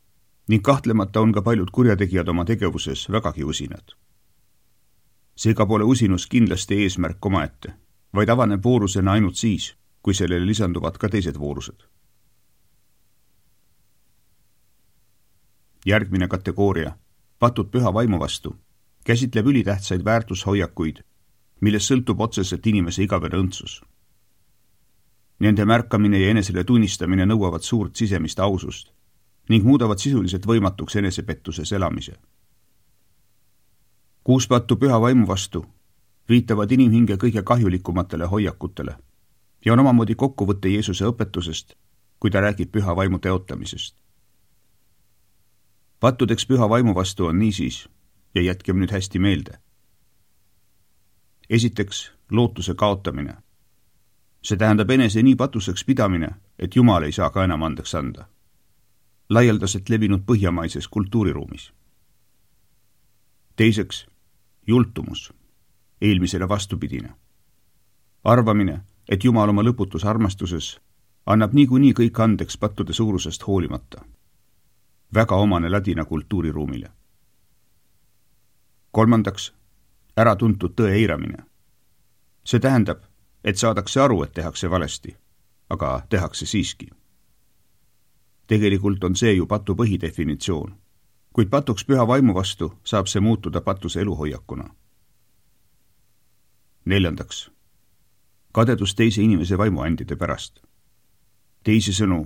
Speaker 2: ning kahtlemata on ka paljud kurjategijad oma tegevuses vägagi usinad. Seega pole usinus kindlasti eesmärk omaette, vaid avaneb voorusena ainult siis, kui sellele lisanduvad ka teised voorused. Järgmine kategooria, patud püha vaimu vastu, käsitleb ülitähtsaid väärtushoiakuid, millest sõltub otseselt inimese igavene õndsus. Nende märkamine ja enesele tunnistamine nõuavad suurt sisemist ausust ning muudavad sisuliselt võimatuks enesepettuses elamise. 6 pattu püha vaimu vastu viitavad inimhinge kõige kahjulikumatele hoiakutele ja on omamoodi kokkuvõtte Jeesuse õpetusest, kui ta räägib püha vaimu teotamisest. Pattudeks püha vaimu vastu on niisiis, ja jätkem nüüd hästi meelde. Esiteks, lootuse kaotamine. See tähendab enese nii patuseks pidamine, et Jumal ei saa ka enam andeks anda. Laialdaselt levinud põhjamaises kultuuriruumis. Teiseks, jultumus, eelmisele vastupidine. Arvamine, et Jumal oma lõputus armastuses annab niikuinii kõik andeks pattude suurusest hoolimata. Väga omane ladina kultuuriruumile. 3. Äratuntud tõe eiramine. See tähendab, et saadakse aru, et tehakse valesti, aga tehakse siiski. Tegelikult on see ju patu põhidefinitsioon, kuid patuks püha vaimu vastu saab see muutuda patuse eluhoiakuna. 4. Kadedus teise inimese vaimuandide pärast. Teisisõnu,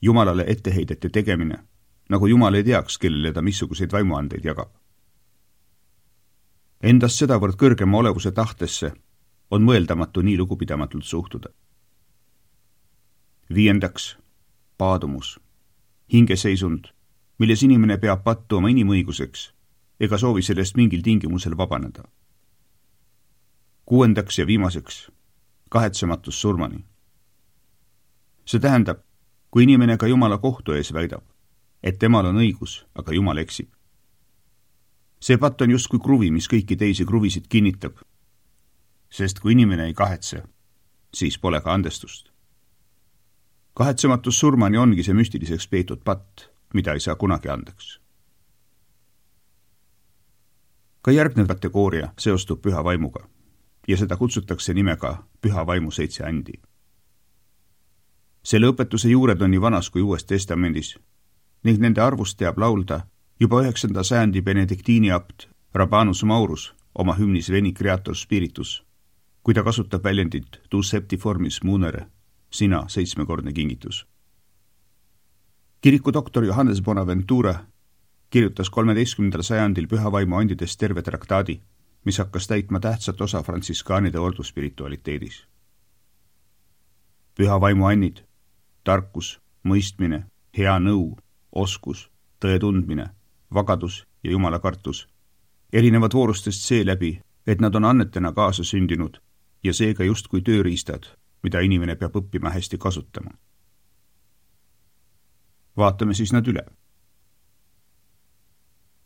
Speaker 2: Jumalale etteheidete tegemine, nagu Jumal ei teaks, kellele ta missuguseid vaimuandeid jagab. Endast sedavõrd kõrgema olevuse tahtesse on mõeldamatu nii lugupidamatult suhtuda. 5. Paadumus. Hingeseisund, milles inimene peab pattu oma inimõiguseks ega soovi sellest mingil tingimusel vabaneda. 6. ja viimaseks, kahetsematus surmani. See tähendab, kui inimene ka Jumala kohtu ees väidab, et temal on õigus, aga Jumal eksib. See patt on justkui kruvi, mis kõiki teisi kruvisid kinnitab. Sest kui inimene ei kahetse, siis pole ka andestust. Kahetsematus surmani ongi see müstiliseks peetud patt, mida ei saa kunagi andeks. Ka järgnev kategooria seostub püha vaimuga ja seda kutsutakse nimega püha vaimu 7 andi. Selle õpetuse juured on nii Vanas kui Uues Testamendis ning nende arvust teab laulda juba 9. sajandi benediktiini abt Rabanus Maurus oma hümnis Veni Creator Spiritus, kui ta kasutab väljendit tu septiformis munere, sina 7-kordne kingitus. Kiriku doktor Johannes Bonaventura kirjutas 13. sajandil püha vaimu andidest terve traktaadi, mis hakkas täitma tähtsat osa frantsiskaanide orduspiritualiteedis. Püha vaimu annid, tarkus, mõistmine, hea nõu, oskus, tõe tundmine, vagadus ja Jumala kartus erinevad voorustest seeläbi, et nad on annetena kaasa sündinud ja seega justkui tööriistad, mida inimene peab õppima hästi kasutama. Vaatame siis nad üle.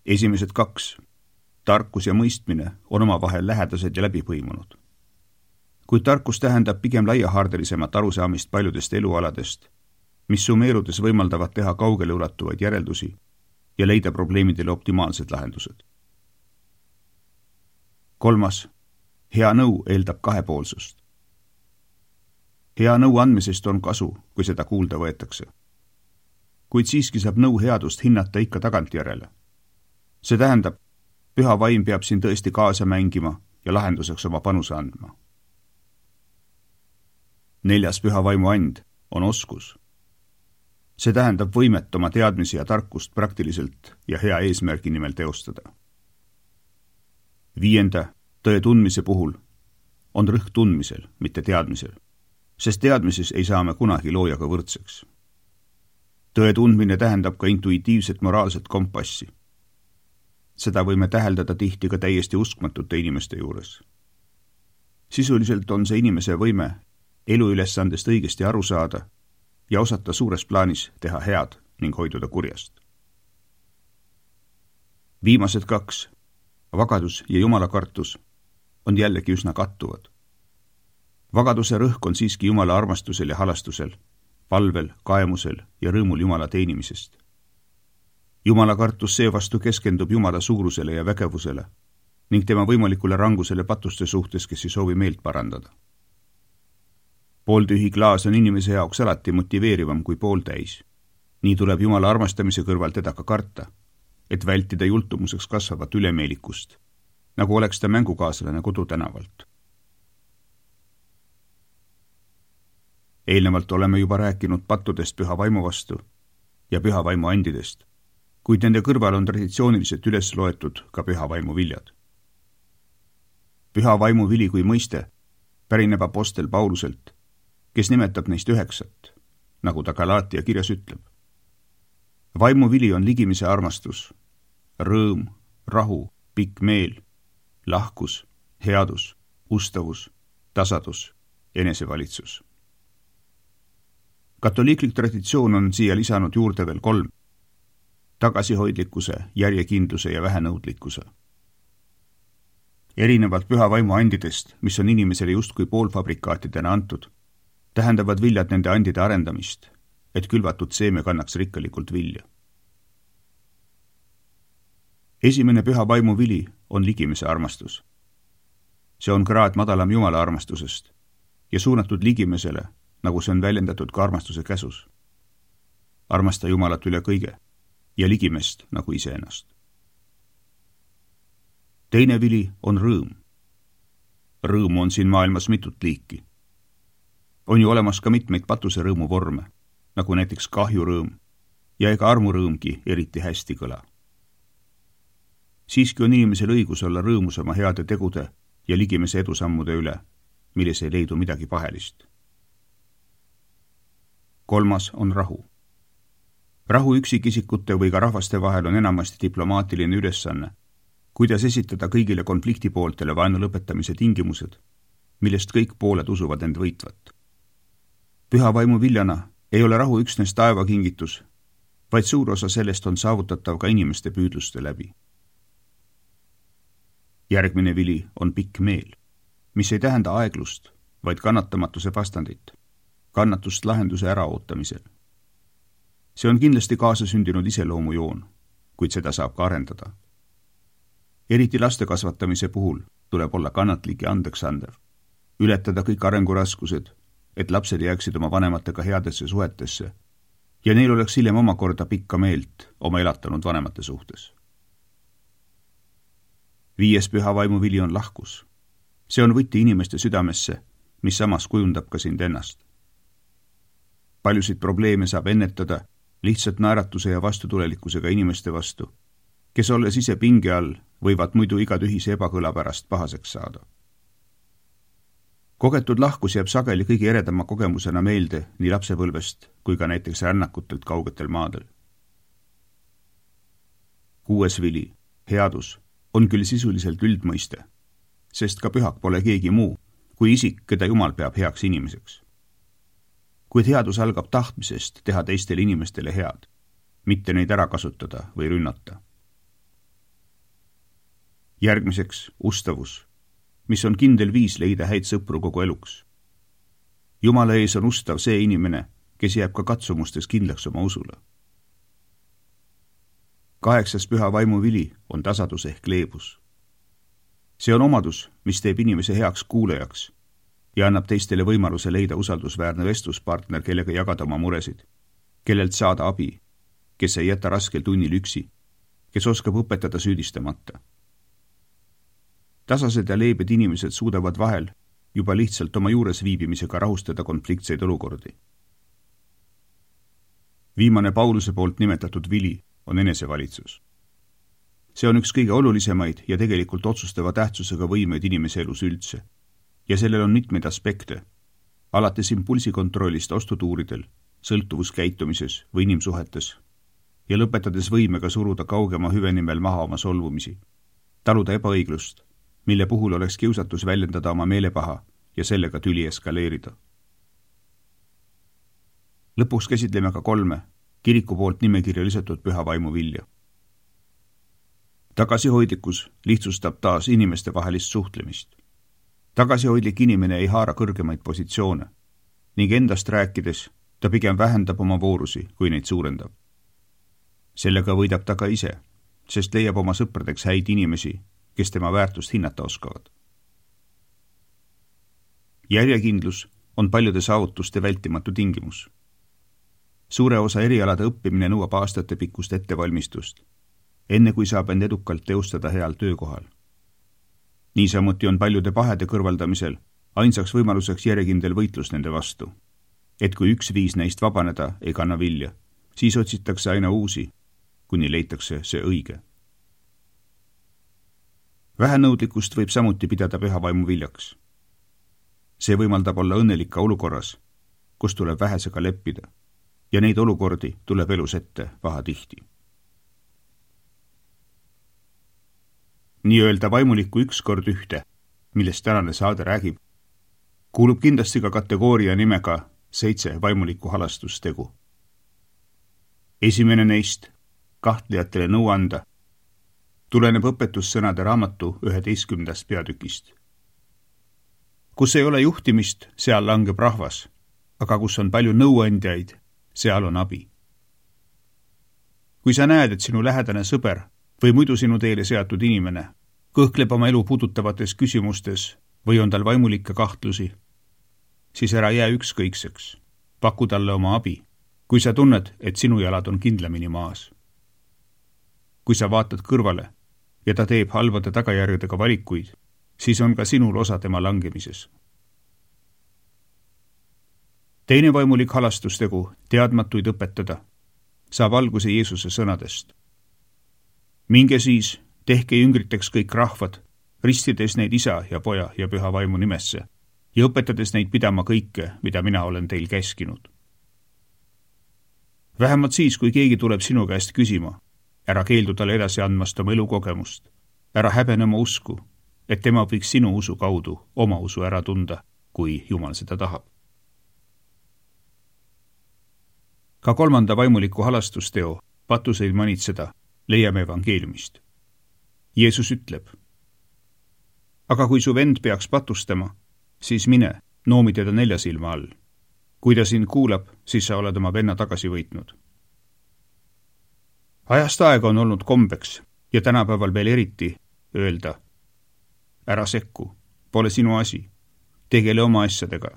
Speaker 2: Esimesed 2, tarkus ja mõistmine, on omavahel lähedased ja läbipõimunud. Kuid tarkus tähendab pigem laiahaardelisemat arusaamist paljudest elualadest, mis summeerudes võimaldavad teha kaugele ulatuvaid järeldusi ja leida probleemidele optimaalsed lahendused. 3, hea nõu eeldab kahepoolsust. Hea nõu andmisest on kasu, kui seda kuulda võetakse. Kuid siiski saab nõu headust hinnata ikka tagantjärele. See tähendab, püha vaim peab siin tõesti kaasa mängima ja lahenduseks oma panuse andma. 4. püha vaimu and on oskus. See tähendab võimet oma teadmisi ja tarkust praktiliselt ja hea eesmärgi nimel teostada. 5. tõe tundmise puhul on rõhk tundmisel, mitte teadmisel, sest teadmises ei saa me kunagi loojaga võrdseks. Tõe tundmine tähendab ka intuitiivset moraalset kompassi. Seda võime täheldada tihti ka täiesti uskmatute inimeste juures. Sisuliselt on see inimese võime eluülesandest õigesti aru saada ja osata suures plaanis teha head ning hoiduda kurjast. Viimased 2, vagadus ja Jumala kartus, on jällegi üsna kattuvad. Vagaduse rõhk on siiski Jumala armastusel ja halastusel, palvel, kaemusel ja rõõmul Jumala teenimisest. Jumala kartus seevastu keskendub Jumala suurusele ja vägevusele ning tema võimalikule rangusele patuste suhtes, kes ei soovi meelt parandada. Pooltühi klaas on inimese jaoks alati motiveerivam kui pooltäis. Nii tuleb Jumala armastamise kõrval teda ka karta, et vältida jultumuseks kasvavat ülemeelikust, nagu oleks ta mängukaaslane kodutänavalt. Eelnevalt oleme juba rääkinud pattudest püha vaimu vastu ja püha vaimu andidest, kuid nende kõrval on traditsiooniliselt üles loetud ka püha vaimu viljad. Püha vaimu vili kui mõiste pärineb apostel Pauluselt, kes nimetab neist 9, nagu ta Galaatia kirjas ütleb. Vaimu vili on ligimise armastus, rõõm, rahu, pikk meel, lahkus, headus, ustavus, tasadus, enesevalitsus. Katoliiklik traditsioon on siia lisanud juurde veel 3, tagasihoidlikkuse, järjekindluse ja vähenõudlikkuse. Erinevalt püha vaimu andidest, mis on inimesele justkui poolfabrikaatidena antud, tähendavad viljad nende andide arendamist, et külvatud seeme kannaks rikkalikult vilja. Esimene püha vaimu vili on ligimise armastus. See on kraad madalam Jumala armastusest ja suunatud ligimesele, nagu see on väljendatud ka armastuse käsus. Armasta Jumalat üle kõige ja ligimest nagu iseennast. Teine vili on rõõm. Rõõmu on siin maailmas mitut liiki. On ju olemas ka mitmeid patuse rõõmu vorme, nagu näiteks kahjurõõm ja ega armurõõmgi eriti hästi kõla. Siiski on inimesel õigus olla rõõmus oma heade tegude ja ligimese edusammude üle, milles ei leidu midagi pahelist. 3. on rahu. Rahu üksikisikute või ka rahvaste vahel on enamasti diplomaatiline ülesanne, kuidas esitada kõigile konfliktipooltele vaenu lõpetamise tingimused, millest kõik pooled usuvad end võitvat. Püha vaimu viljana ei ole rahu üksnes taevakingitus, vaid suur osa sellest on saavutatav ka inimeste püüdluste läbi. Järgmine vili on pikk meel, mis ei tähenda aeglust, vaid kannatamatuse vastandit, kannatust lahenduse äraootamisel. See on kindlasti kaasasündinud iseloomujoon, kuid seda saab ka arendada. Eriti laste kasvatamise puhul tuleb olla kannatlik ja andeksandev, ületada kõik arenguraskused, et lapsed jääksid oma vanematega headesse suhetesse ja neil oleks hiljem omakorda pikka meelt oma elatanud vanemate suhtes. 5. püha vaimuvili on lahkus. See on võti inimeste südamesse, mis samas kujundab ka sind ennast. Paljusid probleeme saab ennetada lihtsalt naeratuse ja vastutulelikkusega inimeste vastu, kes olles ise pinge all, võivad muidu iga tühise ebakõla pärast pahaseks saada. Kogetud lahkus jääb sageli kõige eredama kogemusena meelde nii lapsepõlvest kui ka näiteks rännakutelt kaugetel maadel. 6. vili, headus, on küll sisuliselt üldmõiste, sest ka pühak pole keegi muu kui isik, keda Jumal peab heaks inimeseks. Kuid headus algab tahtmisest teha teistele inimestele head, mitte neid ära kasutada või rünnata. Järgmiseks ustavus, mis on kindel viis leida häid sõpru kogu eluks. Jumala ees on ustav see inimene, kes jääb ka katsumustes kindlaks oma usule. 8. püha vaimuvili on tasadus ehk leebus. See on omadus, mis teeb inimese heaks kuulajaks ja annab teistele võimaluse leida usaldusväärne vestluspartner, kellega jagada oma muresid, kellelt saada abi, kes ei jäta raskel tunnil üksi, kes oskab õpetada süüdistamata. Tasased ja leebed inimesed suudavad vahel juba lihtsalt oma juures viibimisega rahustada konfliktseid olukordi. Viimane Pauluse poolt nimetatud vili on enesevalitsus. See on üks kõige olulisemaid ja tegelikult otsustava tähtsusega võimeid inimese elus üldse. Ja sellel on mitmeid aspekte, alates impulsikontrollist ostutuuridel, sõltuvuskäitumises või inimsuhetes ja lõpetades võimega suruda kaugema hüve nimel maha oma solvumisi, taluda ebaõiglust, mille puhul oleks kiusatus väljendada oma meelepaha ja sellega tüli eskaleerida. Lõpuks käsitleme ka 3 kiriku poolt nimekirja lisatud püha vaimuvilja. Tagasihoidlikkus lihtsustab taas inimeste vahelist suhtlemist. Tagasihoidlik inimene ei haara kõrgemaid positsioone ning endast rääkides ta pigem vähendab oma voorusi, kui neid suurendab. Sellega võidab ta ka ise, sest leiab oma sõpradeks häid inimesi, kes tema väärtust hinnata oskavad. Järjekindlus on paljude saavutuste vältimatu tingimus. Suure osa erialade õppimine nõuab aastate pikkust ettevalmistust, enne kui saab end edukalt teostada heal töökohal. Niisamuti on paljude pahede kõrvaldamisel ainsaks võimaluseks järjekindel võitlus nende vastu, et kui üks viis neist vabaneda ei kanna vilja, siis otsitakse aina uusi, kuni leitakse see õige. Vähenõudlikkust võib samuti pidada püha vaimu viljaks. See võimaldab olla õnnelik ka olukorras, kus tuleb vähesega leppida, ja neid olukordi tuleb elus ette pahatihti. Nii-öelda vaimulikku ükskord ühte, millest tänane saade räägib, kuulub kindlasti ka kategooria nimega 7 vaimulikku halastustegu. Esimene neist, kahtlejatele nõu anda, tuleneb õpetussõnade raamatu 11. peatükist. Kus ei ole juhtimist, seal langeb rahvas, aga kus on palju nõuandjaid, seal on abi. Kui sa näed, et sinu lähedane sõber või muidu sinu teele seatud inimene kõhkleb oma elu puudutavates küsimustes või on tal vaimulikke kahtlusi, siis ära jää ükskõikseks, paku talle oma abi, kui sa tunned, et sinu jalad on kindlamini maas. Kui sa vaatad kõrvale ja ta teeb halvade tagajärgedega valikuid, siis on ka sinul osa tema langemises. Teine vaimulik halastustegu, teadmatuid õpetada, saab alguse Jeesuse sõnadest. Minge siis, tehke jüngriteks kõik rahvad, ristides neid isa ja poja ja püha vaimu nimesse ja õpetades neid pidama kõike, mida mina olen teil käskinud. Vähemalt siis, kui keegi tuleb sinu käest küsima, ära keeldu talle edasi andmast oma elukogemust, ära häbene oma usku, et tema võiks sinu usu kaudu oma usu ära tunda, kui Jumal seda tahab. Ka 3. vaimuliku halastusteo, patuseid manitseda, leiame evangeeliumist. Jeesus ütleb: aga kui su vend peaks patustama, siis mine, noomi teda 4 silma all. Kui ta sind kuulab, siis sa oled oma venna tagasi võitnud. Ajast aega on olnud kombeks ja tänapäeval veel eriti öelda: ära sekku, pole sinu asi, tegele oma asjadega.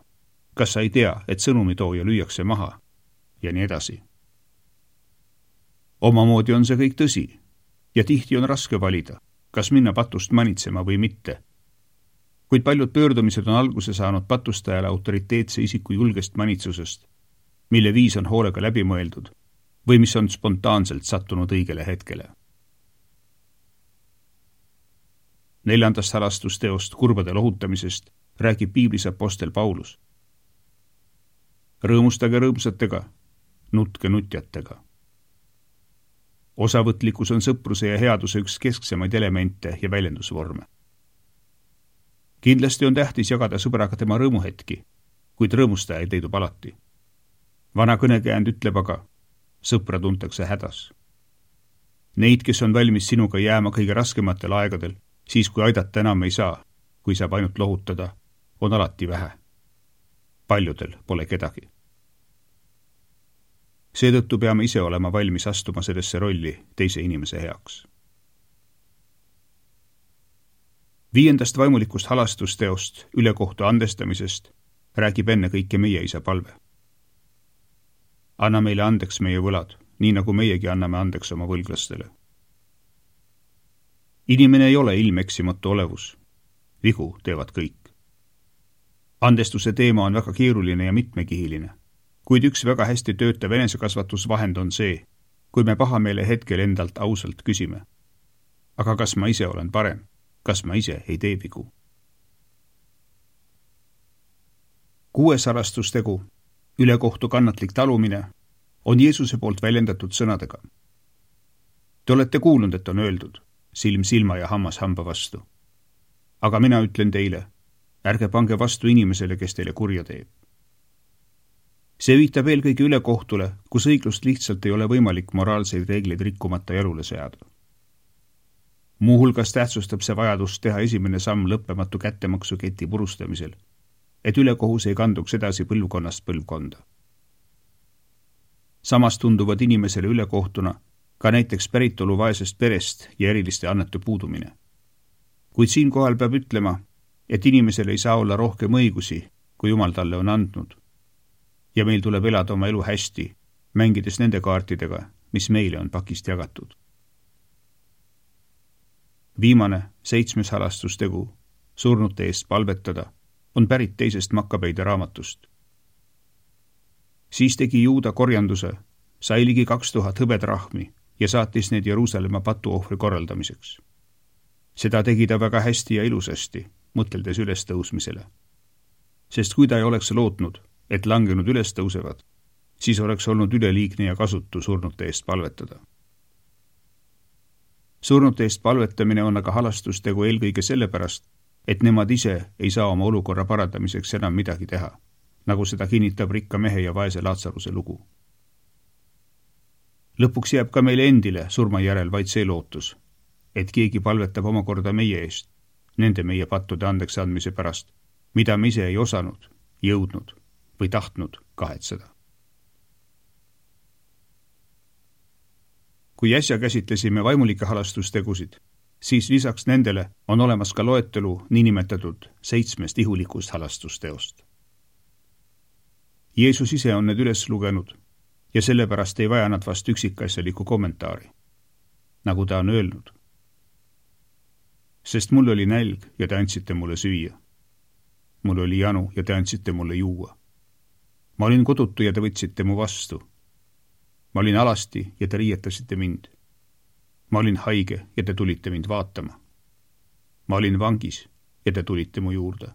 Speaker 2: Kas sa ei tea, et sõnumitooja lüüakse maha? Ja nii edasi. Omamoodi on see kõik tõsi ja tihti on raske valida, kas minna patust manitsema või mitte. Kuid paljud pöördumised on alguse saanud patustajale autoriteetse isiku julgest manitsusest, mille viis on hoolega läbi mõeldud või mis on spontaanselt sattunud õigele hetkele. 4. halastusteost kurbade lohutamisest räägib piiblis apostel Paulus. Rõõmustage rõõmsatega, nutke nutjatega. Osavõtlikkus on sõpruse ja headuse üks kesksemaid elemente ja väljendusvorme. Kindlasti on tähtis jagada sõbraga tema rõõmuhetki, kuid rõõmustajaid leidub alati. Vana kõnekäänd ütleb aga: sõpra tuntakse hädas. Neid, kes on valmis sinuga jääma kõige raskematel aegadel, siis kui aidata enam ei saa, kui saab ainult lohutada, on alati vähe. Paljudel pole kedagi. Seetõttu peame ise olema valmis astuma sellesse rolli teise inimese heaks. 5. vaimulikust halastusteost, ülekohtu andestamisest, räägib enne kõike meie isa palve. Anna meile andeks meie võlad, nii nagu meiegi anname andeks oma võlglastele. Inimene ei ole ilmeksimatu olevus. Vigu teevad kõik. Andestuse teema on väga keeruline ja mitmekihiline, kuid üks väga hästi töötav enesekasvatusvahend on see, kui me pahameele hetkel endalt ausalt küsime: aga kas ma ise olen parem? Kas ma ise ei tee vigu? 6. halastustegu, ülekohtu kannatlik talumine, on Jeesuse poolt väljendatud sõnadega: te olete kuulnud, et on öeldud: silm silma ja hammas hamba vastu. Aga mina ütlen teile, ärge pange vastu inimesele, kes teile kurja teeb. See viitab eelkõige ülekohtule, kus õiglust lihtsalt ei ole võimalik moraalseid reegleid rikkumata jalule seada. Muuhulgas tähtsustab see vajadust teha esimene samm lõppematu kättemaksuketi purustamisel, et ülekohus ei kanduks edasi põlvkonnast põlvkonda. Samas tunduvad inimesele ülekohtuna ka näiteks päritolu vaesest perest ja eriliste annete puudumine. Kuid siinkohal peab ütlema, et inimesel ei saa olla rohkem õigusi, kui Jumal talle on andnud. Ja meil tuleb elada oma elu hästi, mängides nende kaartidega, mis meile on pakist jagatud. Viimane, 7. halastustegu, surnute eest palvetada, on pärit 2. Makkabeide raamatust. Siis tegi Juuda korjanduse, sai ligi 2000 hõbedrahmi ja saatis need Jeruusalemma patuohvri korraldamiseks. Seda tegi ta väga hästi ja ilusasti, mõteldes ülestõusmisele. Sest kui ta ei oleks lootnud, et langenud üles tõusevad, siis oleks olnud üleliigne ja kasutu surnute eest palvetada. Surnute eest palvetamine on aga halastustegu eelkõige sellepärast, et nemad ise ei saa oma olukorra parandamiseks enam midagi teha, nagu seda kinnitab rikka mehe ja vaese Laatsaruse lugu. Lõpuks jääb ka meile endile surma järel vaid see lootus, et keegi palvetab omakorda meie eest, nende meie pattude andeks andmise pärast, mida me ise ei osanud, jõudnud või tahtnud kahetseda. Kui äsja käsitlesime vaimulike halastustegusid, siis lisaks nendele on olemas ka loetelu niinimetatud 7 ihulikust halastusteost. Jeesus ise on need üles lugenud ja sellepärast ei vaja nad vast üksikasjaliku kommentaari, nagu ta on öelnud. Sest mul oli nälg ja te andsite mulle süüa. Mul oli janu ja te andsite mulle juua. Ma olin kodutu ja te võtsite mu vastu. Ma olin alasti ja te riietasite mind. Ma olin haige ja te tulite mind vaatama. Ma olin vangis ja te tulite mu juurde.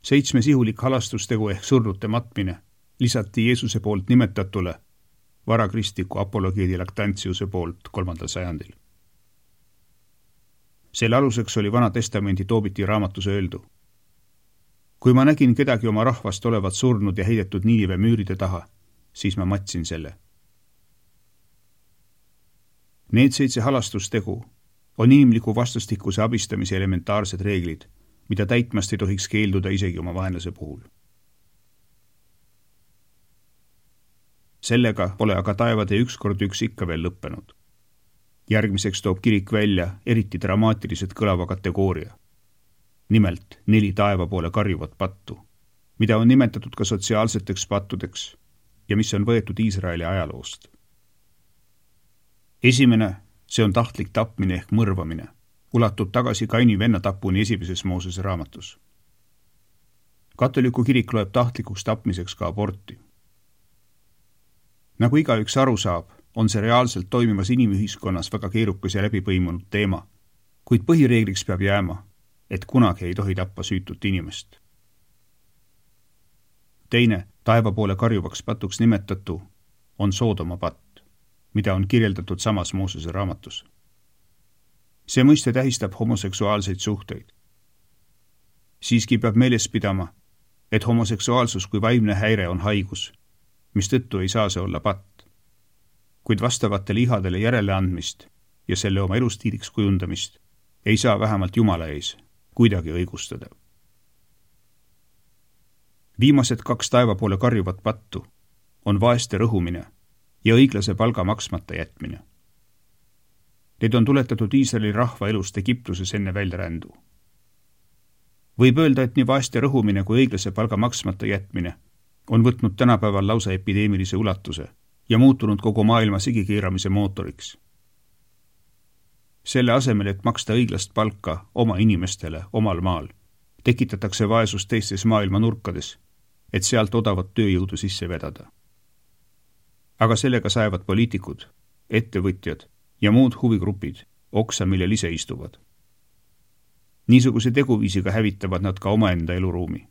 Speaker 2: 7 ihulik halastustegu ehk surnute matmine lisati Jeesuse poolt nimetatule varakristliku apologeedi Lactantiuse poolt 3. sajandil. Selle aluseks oli Vana Testamendi Toobiti raamatus öeldu. Kui ma nägin kedagi oma rahvast olevat surnud ja heidetud Niinive müüride taha, siis ma matsin selle. Need 7 halastustegu on inimliku vastastikuse abistamise elementaarsed reeglid, mida täitmast ei tohiks keelduda isegi oma vaenlase puhul. Sellega pole aga taevade 1x1 ikka veel lõppenud. Järgmiseks toob kirik välja eriti dramaatiliselt kõlava kategooria. Nimelt 4 taeva poole karjuvat pattu, mida on nimetatud ka sotsiaalseteks pattudeks ja mis on võetud Iisraeli ajaloost. Esimene, see on tahtlik tapmine ehk mõrvamine, ulatub tagasi Kaini venna tapuni 1. Moosese raamatus. Katoliku kirik loeb tahtlikuks tapmiseks ka aborti. Nagu igaüks aru saab, on see reaalselt toimivas inimühiskonnas väga keerukas ja läbipõimunud teema, kuid põhireegliks peab jääma, et kunagi ei tohi tappa süütut inimest. Teine, taeva poole karjuvaks patuks nimetatu, on Soodoma patt, mida on kirjeldatud samas Moosese raamatus. See mõiste tähistab homoseksuaalseid suhteid. Siiski peab meeles pidama, et homoseksuaalsus kui vaimne häire on haigus, mistõttu ei saa see olla patt. Kuid vastavatele ihadele järeleandmist ja selle oma elustiiliks kujundamist ei saa vähemalt Jumala ees kuidagi õigustada. Viimased 2 taeva poole karjuvat pattu on vaeste rõhumine ja õiglase palga maksmata jätmine. Need on tuletatud Iisraeli rahva elust Egiptuses enne väljarändu. Võib öelda, et nii vaeste rõhumine kui õiglase palga maksmata jätmine on võtnud tänapäeval lausa epideemilise ulatuse ja muutunud kogu maailma sigikeeramise mootoriks. Selle asemel, et maksta õiglast palka oma inimestele omal maal, tekitatakse vaesust teistes maailma nurkades, et sealt odavat tööjõudu sisse vedada. Aga sellega saevad poliitikud, ettevõtjad ja muud huvigrupid oksa, millel ise istuvad. Niisuguse teguviisiga hävitavad nad ka omaenda eluruumi,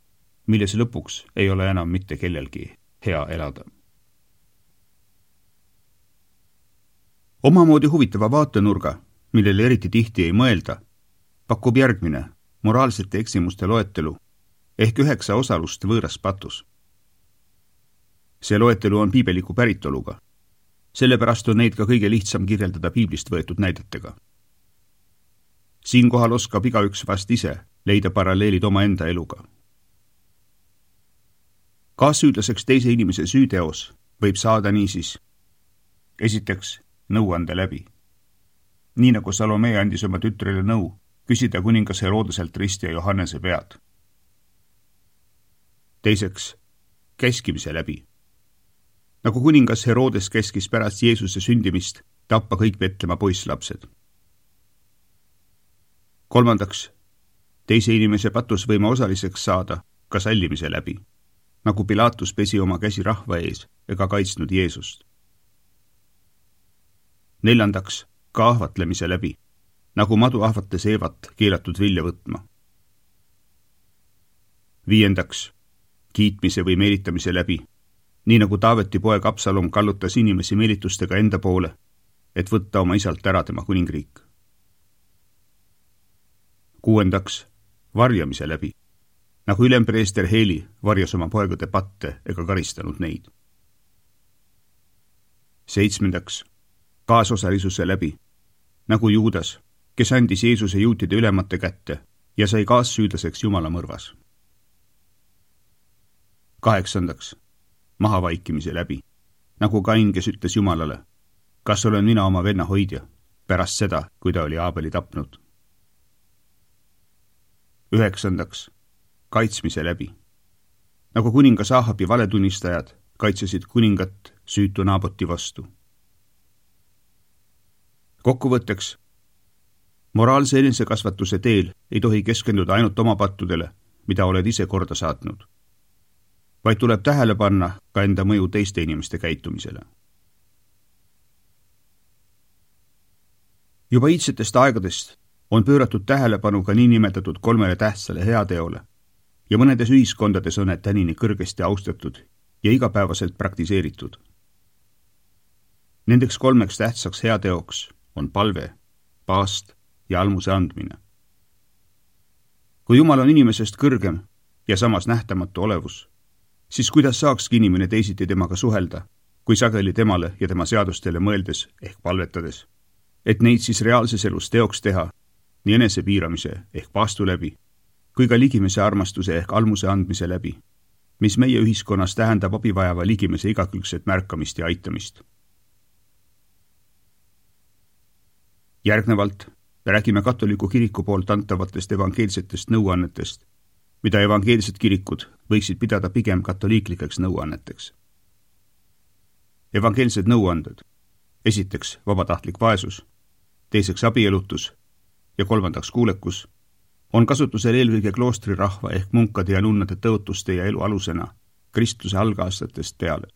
Speaker 2: milles lõpuks ei ole enam mitte kellelgi hea elada. Omamoodi huvitava vaatenurga, millele eriti tihti ei mõelda, pakub järgmine moraalsete eksimuste loetelu ehk 9 osalust võõras patus. See loetelu on piibeliku päritoluga. Sellepärast on neid ka kõige lihtsam kirjeldada piiblist võetud näidetega. Siinkohal oskab igaüks vast ise leida paralleelid omaenda eluga. Kaassüüdlaseks teise inimese süüteos võib saada niisiis. Esiteks, nõuande läbi. Nii nagu Salome andis oma tütrele nõu, küsida kuningas Herodeselt risti ja Johannese pead. Teiseks, käskimise läbi. Nagu kuningas Herodes käskis pärast Jeesuse sündimist tappa kõik Betlema poisslapsed. Kolmandaks, teise inimese patus võima osaliseks saada ka sallimise läbi, nagu Pilatus pesi oma käsi rahva ees ega kaitsnud Jeesust. Neljandaks, ka ahvatlemise läbi, nagu madu ahvates Eevat keelatud vilja võtma. Viiendaks, kiitmise või meelitamise läbi, nii nagu Taaveti poeg Absalom kallutas inimesi meelitustega enda poole, et võtta oma isalt ära tema kuningriik. Kuuendaks, varjamise läbi, nagu ülempreester Heeli varjas oma poegade patte ega karistanud neid. Seitsmendaks, kaasosalisuse läbi, nagu Juudas, kes andis Jeesuse juutide ülemate kätte ja sai kaassüüdlaseks Jumala mõrvas. Kaheksandaks, mahavaikimise läbi, nagu Kain, kes ütles Jumalale, kas olen mina oma venna hoidja, pärast seda, kui ta oli Aabeli tapnud. Üheksandaks, kaitsmise läbi, nagu kuningas Ahabi valetunnistajad kaitsesid kuningat süütu Naaboti vastu. Kokkuvõtteks, moraalse enesekasvatuse teel ei tohi keskenduda ainult oma pattudele, mida oled ise korda saatnud, vaid tuleb tähele panna ka enda mõju teiste inimeste käitumisele. Juba iidsetest aegadest on pööratud tähelepanu ka niinimetatud 3 tähtsale heateole ja mõnedes ühiskondades on need tänini kõrgesti austatud ja igapäevaselt praktiseeritud. Nendeks 3 tähtsaks heateoks on palve, paast ja almuse andmine. Kui Jumal on inimesest kõrgem, ja samas nähtamatu olevus, siis kuidas saakski inimene teisiti temaga suhelda, kui sageli temale ja tema seadustele mõeldes ehk palvetades, et neid siis reaalses elus teoks teha, nii enesepiiramise ehk paastu läbi, kui ka ligimese armastuse ehk almuse andmise läbi, mis meie ühiskonnas tähendab abivajava ligimese igakülgset märkamist ja aitamist. Järgnevalt räägime katoliku kiriku poolt antavatest evangeelsetest nõuannetest, mida evangeelsed kirikud võiksid pidada pigem katoliiklikeks nõuanneteks. Evangeelsed nõuanded. Esiteks vabatahtlik vaesus, teiseks abielutus ja kolmandaks kuulekus on kasutusel eelkõige kloostrirahva ehk munkade ja nunnade tõotuste ja elu alusena kristluse algaastatest peale.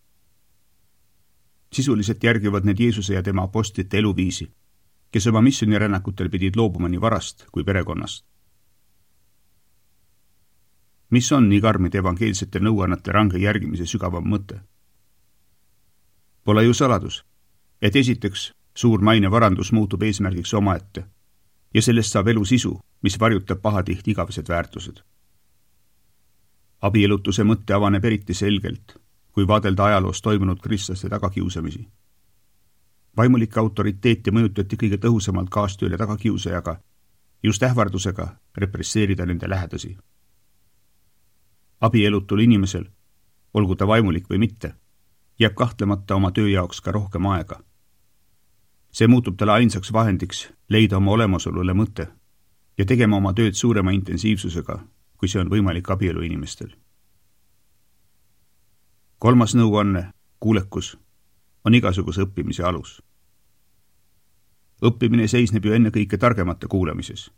Speaker 2: Sisuliselt järgivad need Jeesuse ja tema apostlite eluviisi, kes oma missionirännakutel pidid loobuma nii varast kui perekonnast. Mis on nii karmide evangeelsete nõuannete range järgimise sügavam mõte? Pole ju saladus, et esiteks suur mainevarandus muutub eesmärgiks omaette ja sellest saab elu sisu, mis varjutab pahatihti igavesed väärtused. Abielutuse mõtte avaneb eriti selgelt, kui vaadelda ajaloos toimunud kristlaste tagakiusamisi. Vaimulike autoriteeti mõjutati kõige tõhusamalt kaastööle tagakiusajaga, just ähvardusega represseerida nende lähedasi. Abielutul inimesel, olgu ta vaimulik või mitte, jääb kahtlemata oma töö jaoks ka rohkem aega. See muutub talle ainsaks vahendiks leida oma olemasolule mõte ja tegema oma tööd suurema intensiivsusega, kui see on võimalik abielu inimestel. Kolmas nõuanne, kuulekus, on igasuguse õppimise alus. Õppimine seisneb ju ennekõike targemate kuulamises,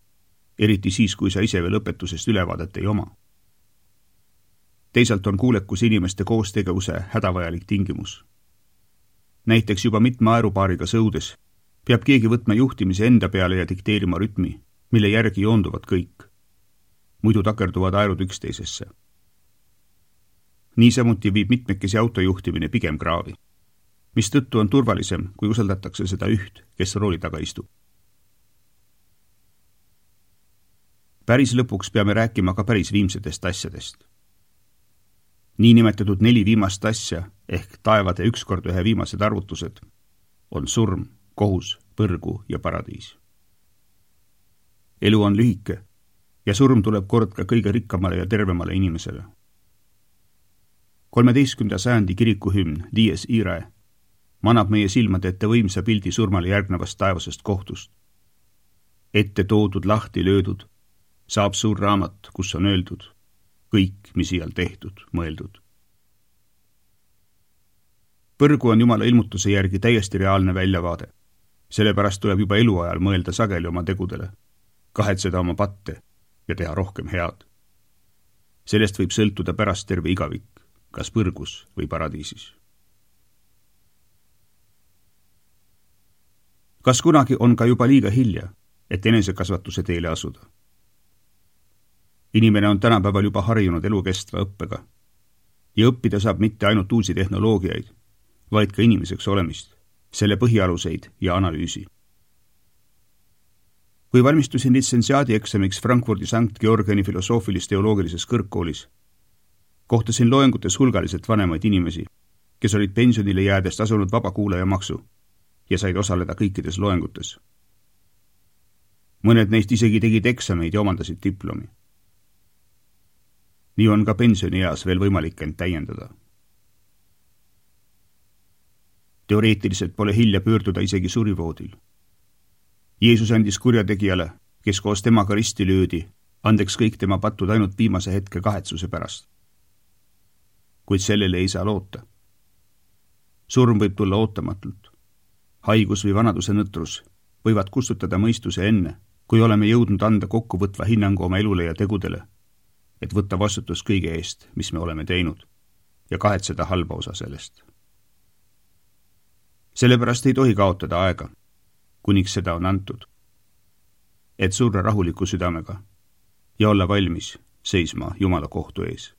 Speaker 2: eriti siis, kui sa ise veel õpetusest ülevaadet ei oma. Teisalt on kuulekus inimeste koostegevuse hädavajalik tingimus. Näiteks juba mitme aerupaariga sõudes peab keegi võtma juhtimise enda peale ja dikteerima rütmi, mille järgi joonduvad kõik. Muidu takerduvad aerud üksteisesse. Niisamuti viib mitmekesi autojuhtimine pigem kraavi, mis tõttu on turvalisem, kui usaldatakse seda üht, kes rooli taga istub. Päris lõpuks peame rääkima ka päris viimsetest asjadest. Niinimetatud 4 viimast asja ehk taevade 1x1 viimased arvutused on surm, kohus, põrgu ja paradiis. Elu on lühike ja surm tuleb kord ka kõige rikkamale ja tervemale inimesele. 13. sajandi kirikuhümn Dies Irae manab meie silmade ette võimsa pildi surmale järgnevast taevasest kohtust. Ette toodud, lahti löödud, saab suur raamat, kus on öeldud kõik, mis iial tehtud, mõeldud. Põrgu on Jumala ilmutuse järgi täiesti reaalne väljavaade. Sellepärast tuleb juba eluajal mõelda sageli oma tegudele, kahetseda oma patte ja teha rohkem head. Sellest võib sõltuda pärast terve igavik, kas põrgus või paradiisis. Kas kunagi on ka juba liiga hilja, et enesekasvatuse teele asuda? Inimene on tänapäeval juba harjunud elukestva õppega ja õppida saab mitte ainult uusi tehnoloogiaid, vaid ka inimeseks olemist, selle põhialuseid ja analüüsi. Kui valmistusin litsentsiaadi eksamiks Frankfurdi Sankt Georgiani filosoofilis-teoloogilises kõrgkoolis, kohtasin loengutes hulgaliselt vanemaid inimesi, kes olid pensionile jäädest asunud vabakuulajamaksu ja said osaleda kõikides loengutes. Mõned neist isegi tegid eksameid ja omandasid diplomi. Nii on ka pensionieas veel võimalik end täiendada. Teoreetiliselt pole hilja pöörduda isegi surivoodil. Jeesus andis kurjategijale, kes koos temaga risti löödi, andeks kõik tema patud ainult viimase hetke kahetsuse pärast. Kuid sellele ei saa loota. Surm võib tulla ootamatult. Haigus või vanaduse nõtrus võivad kustutada mõistuse enne, kui oleme jõudnud anda kokkuvõtva hinnangu oma elule ja tegudele, et võtta vastutus kõige eest, mis me oleme teinud, ja kahetseda halba osa sellest. Sellepärast ei tohi kaotada aega, kuniks seda on antud, et surra rahuliku südamega ja olla valmis seisma Jumala kohtu ees.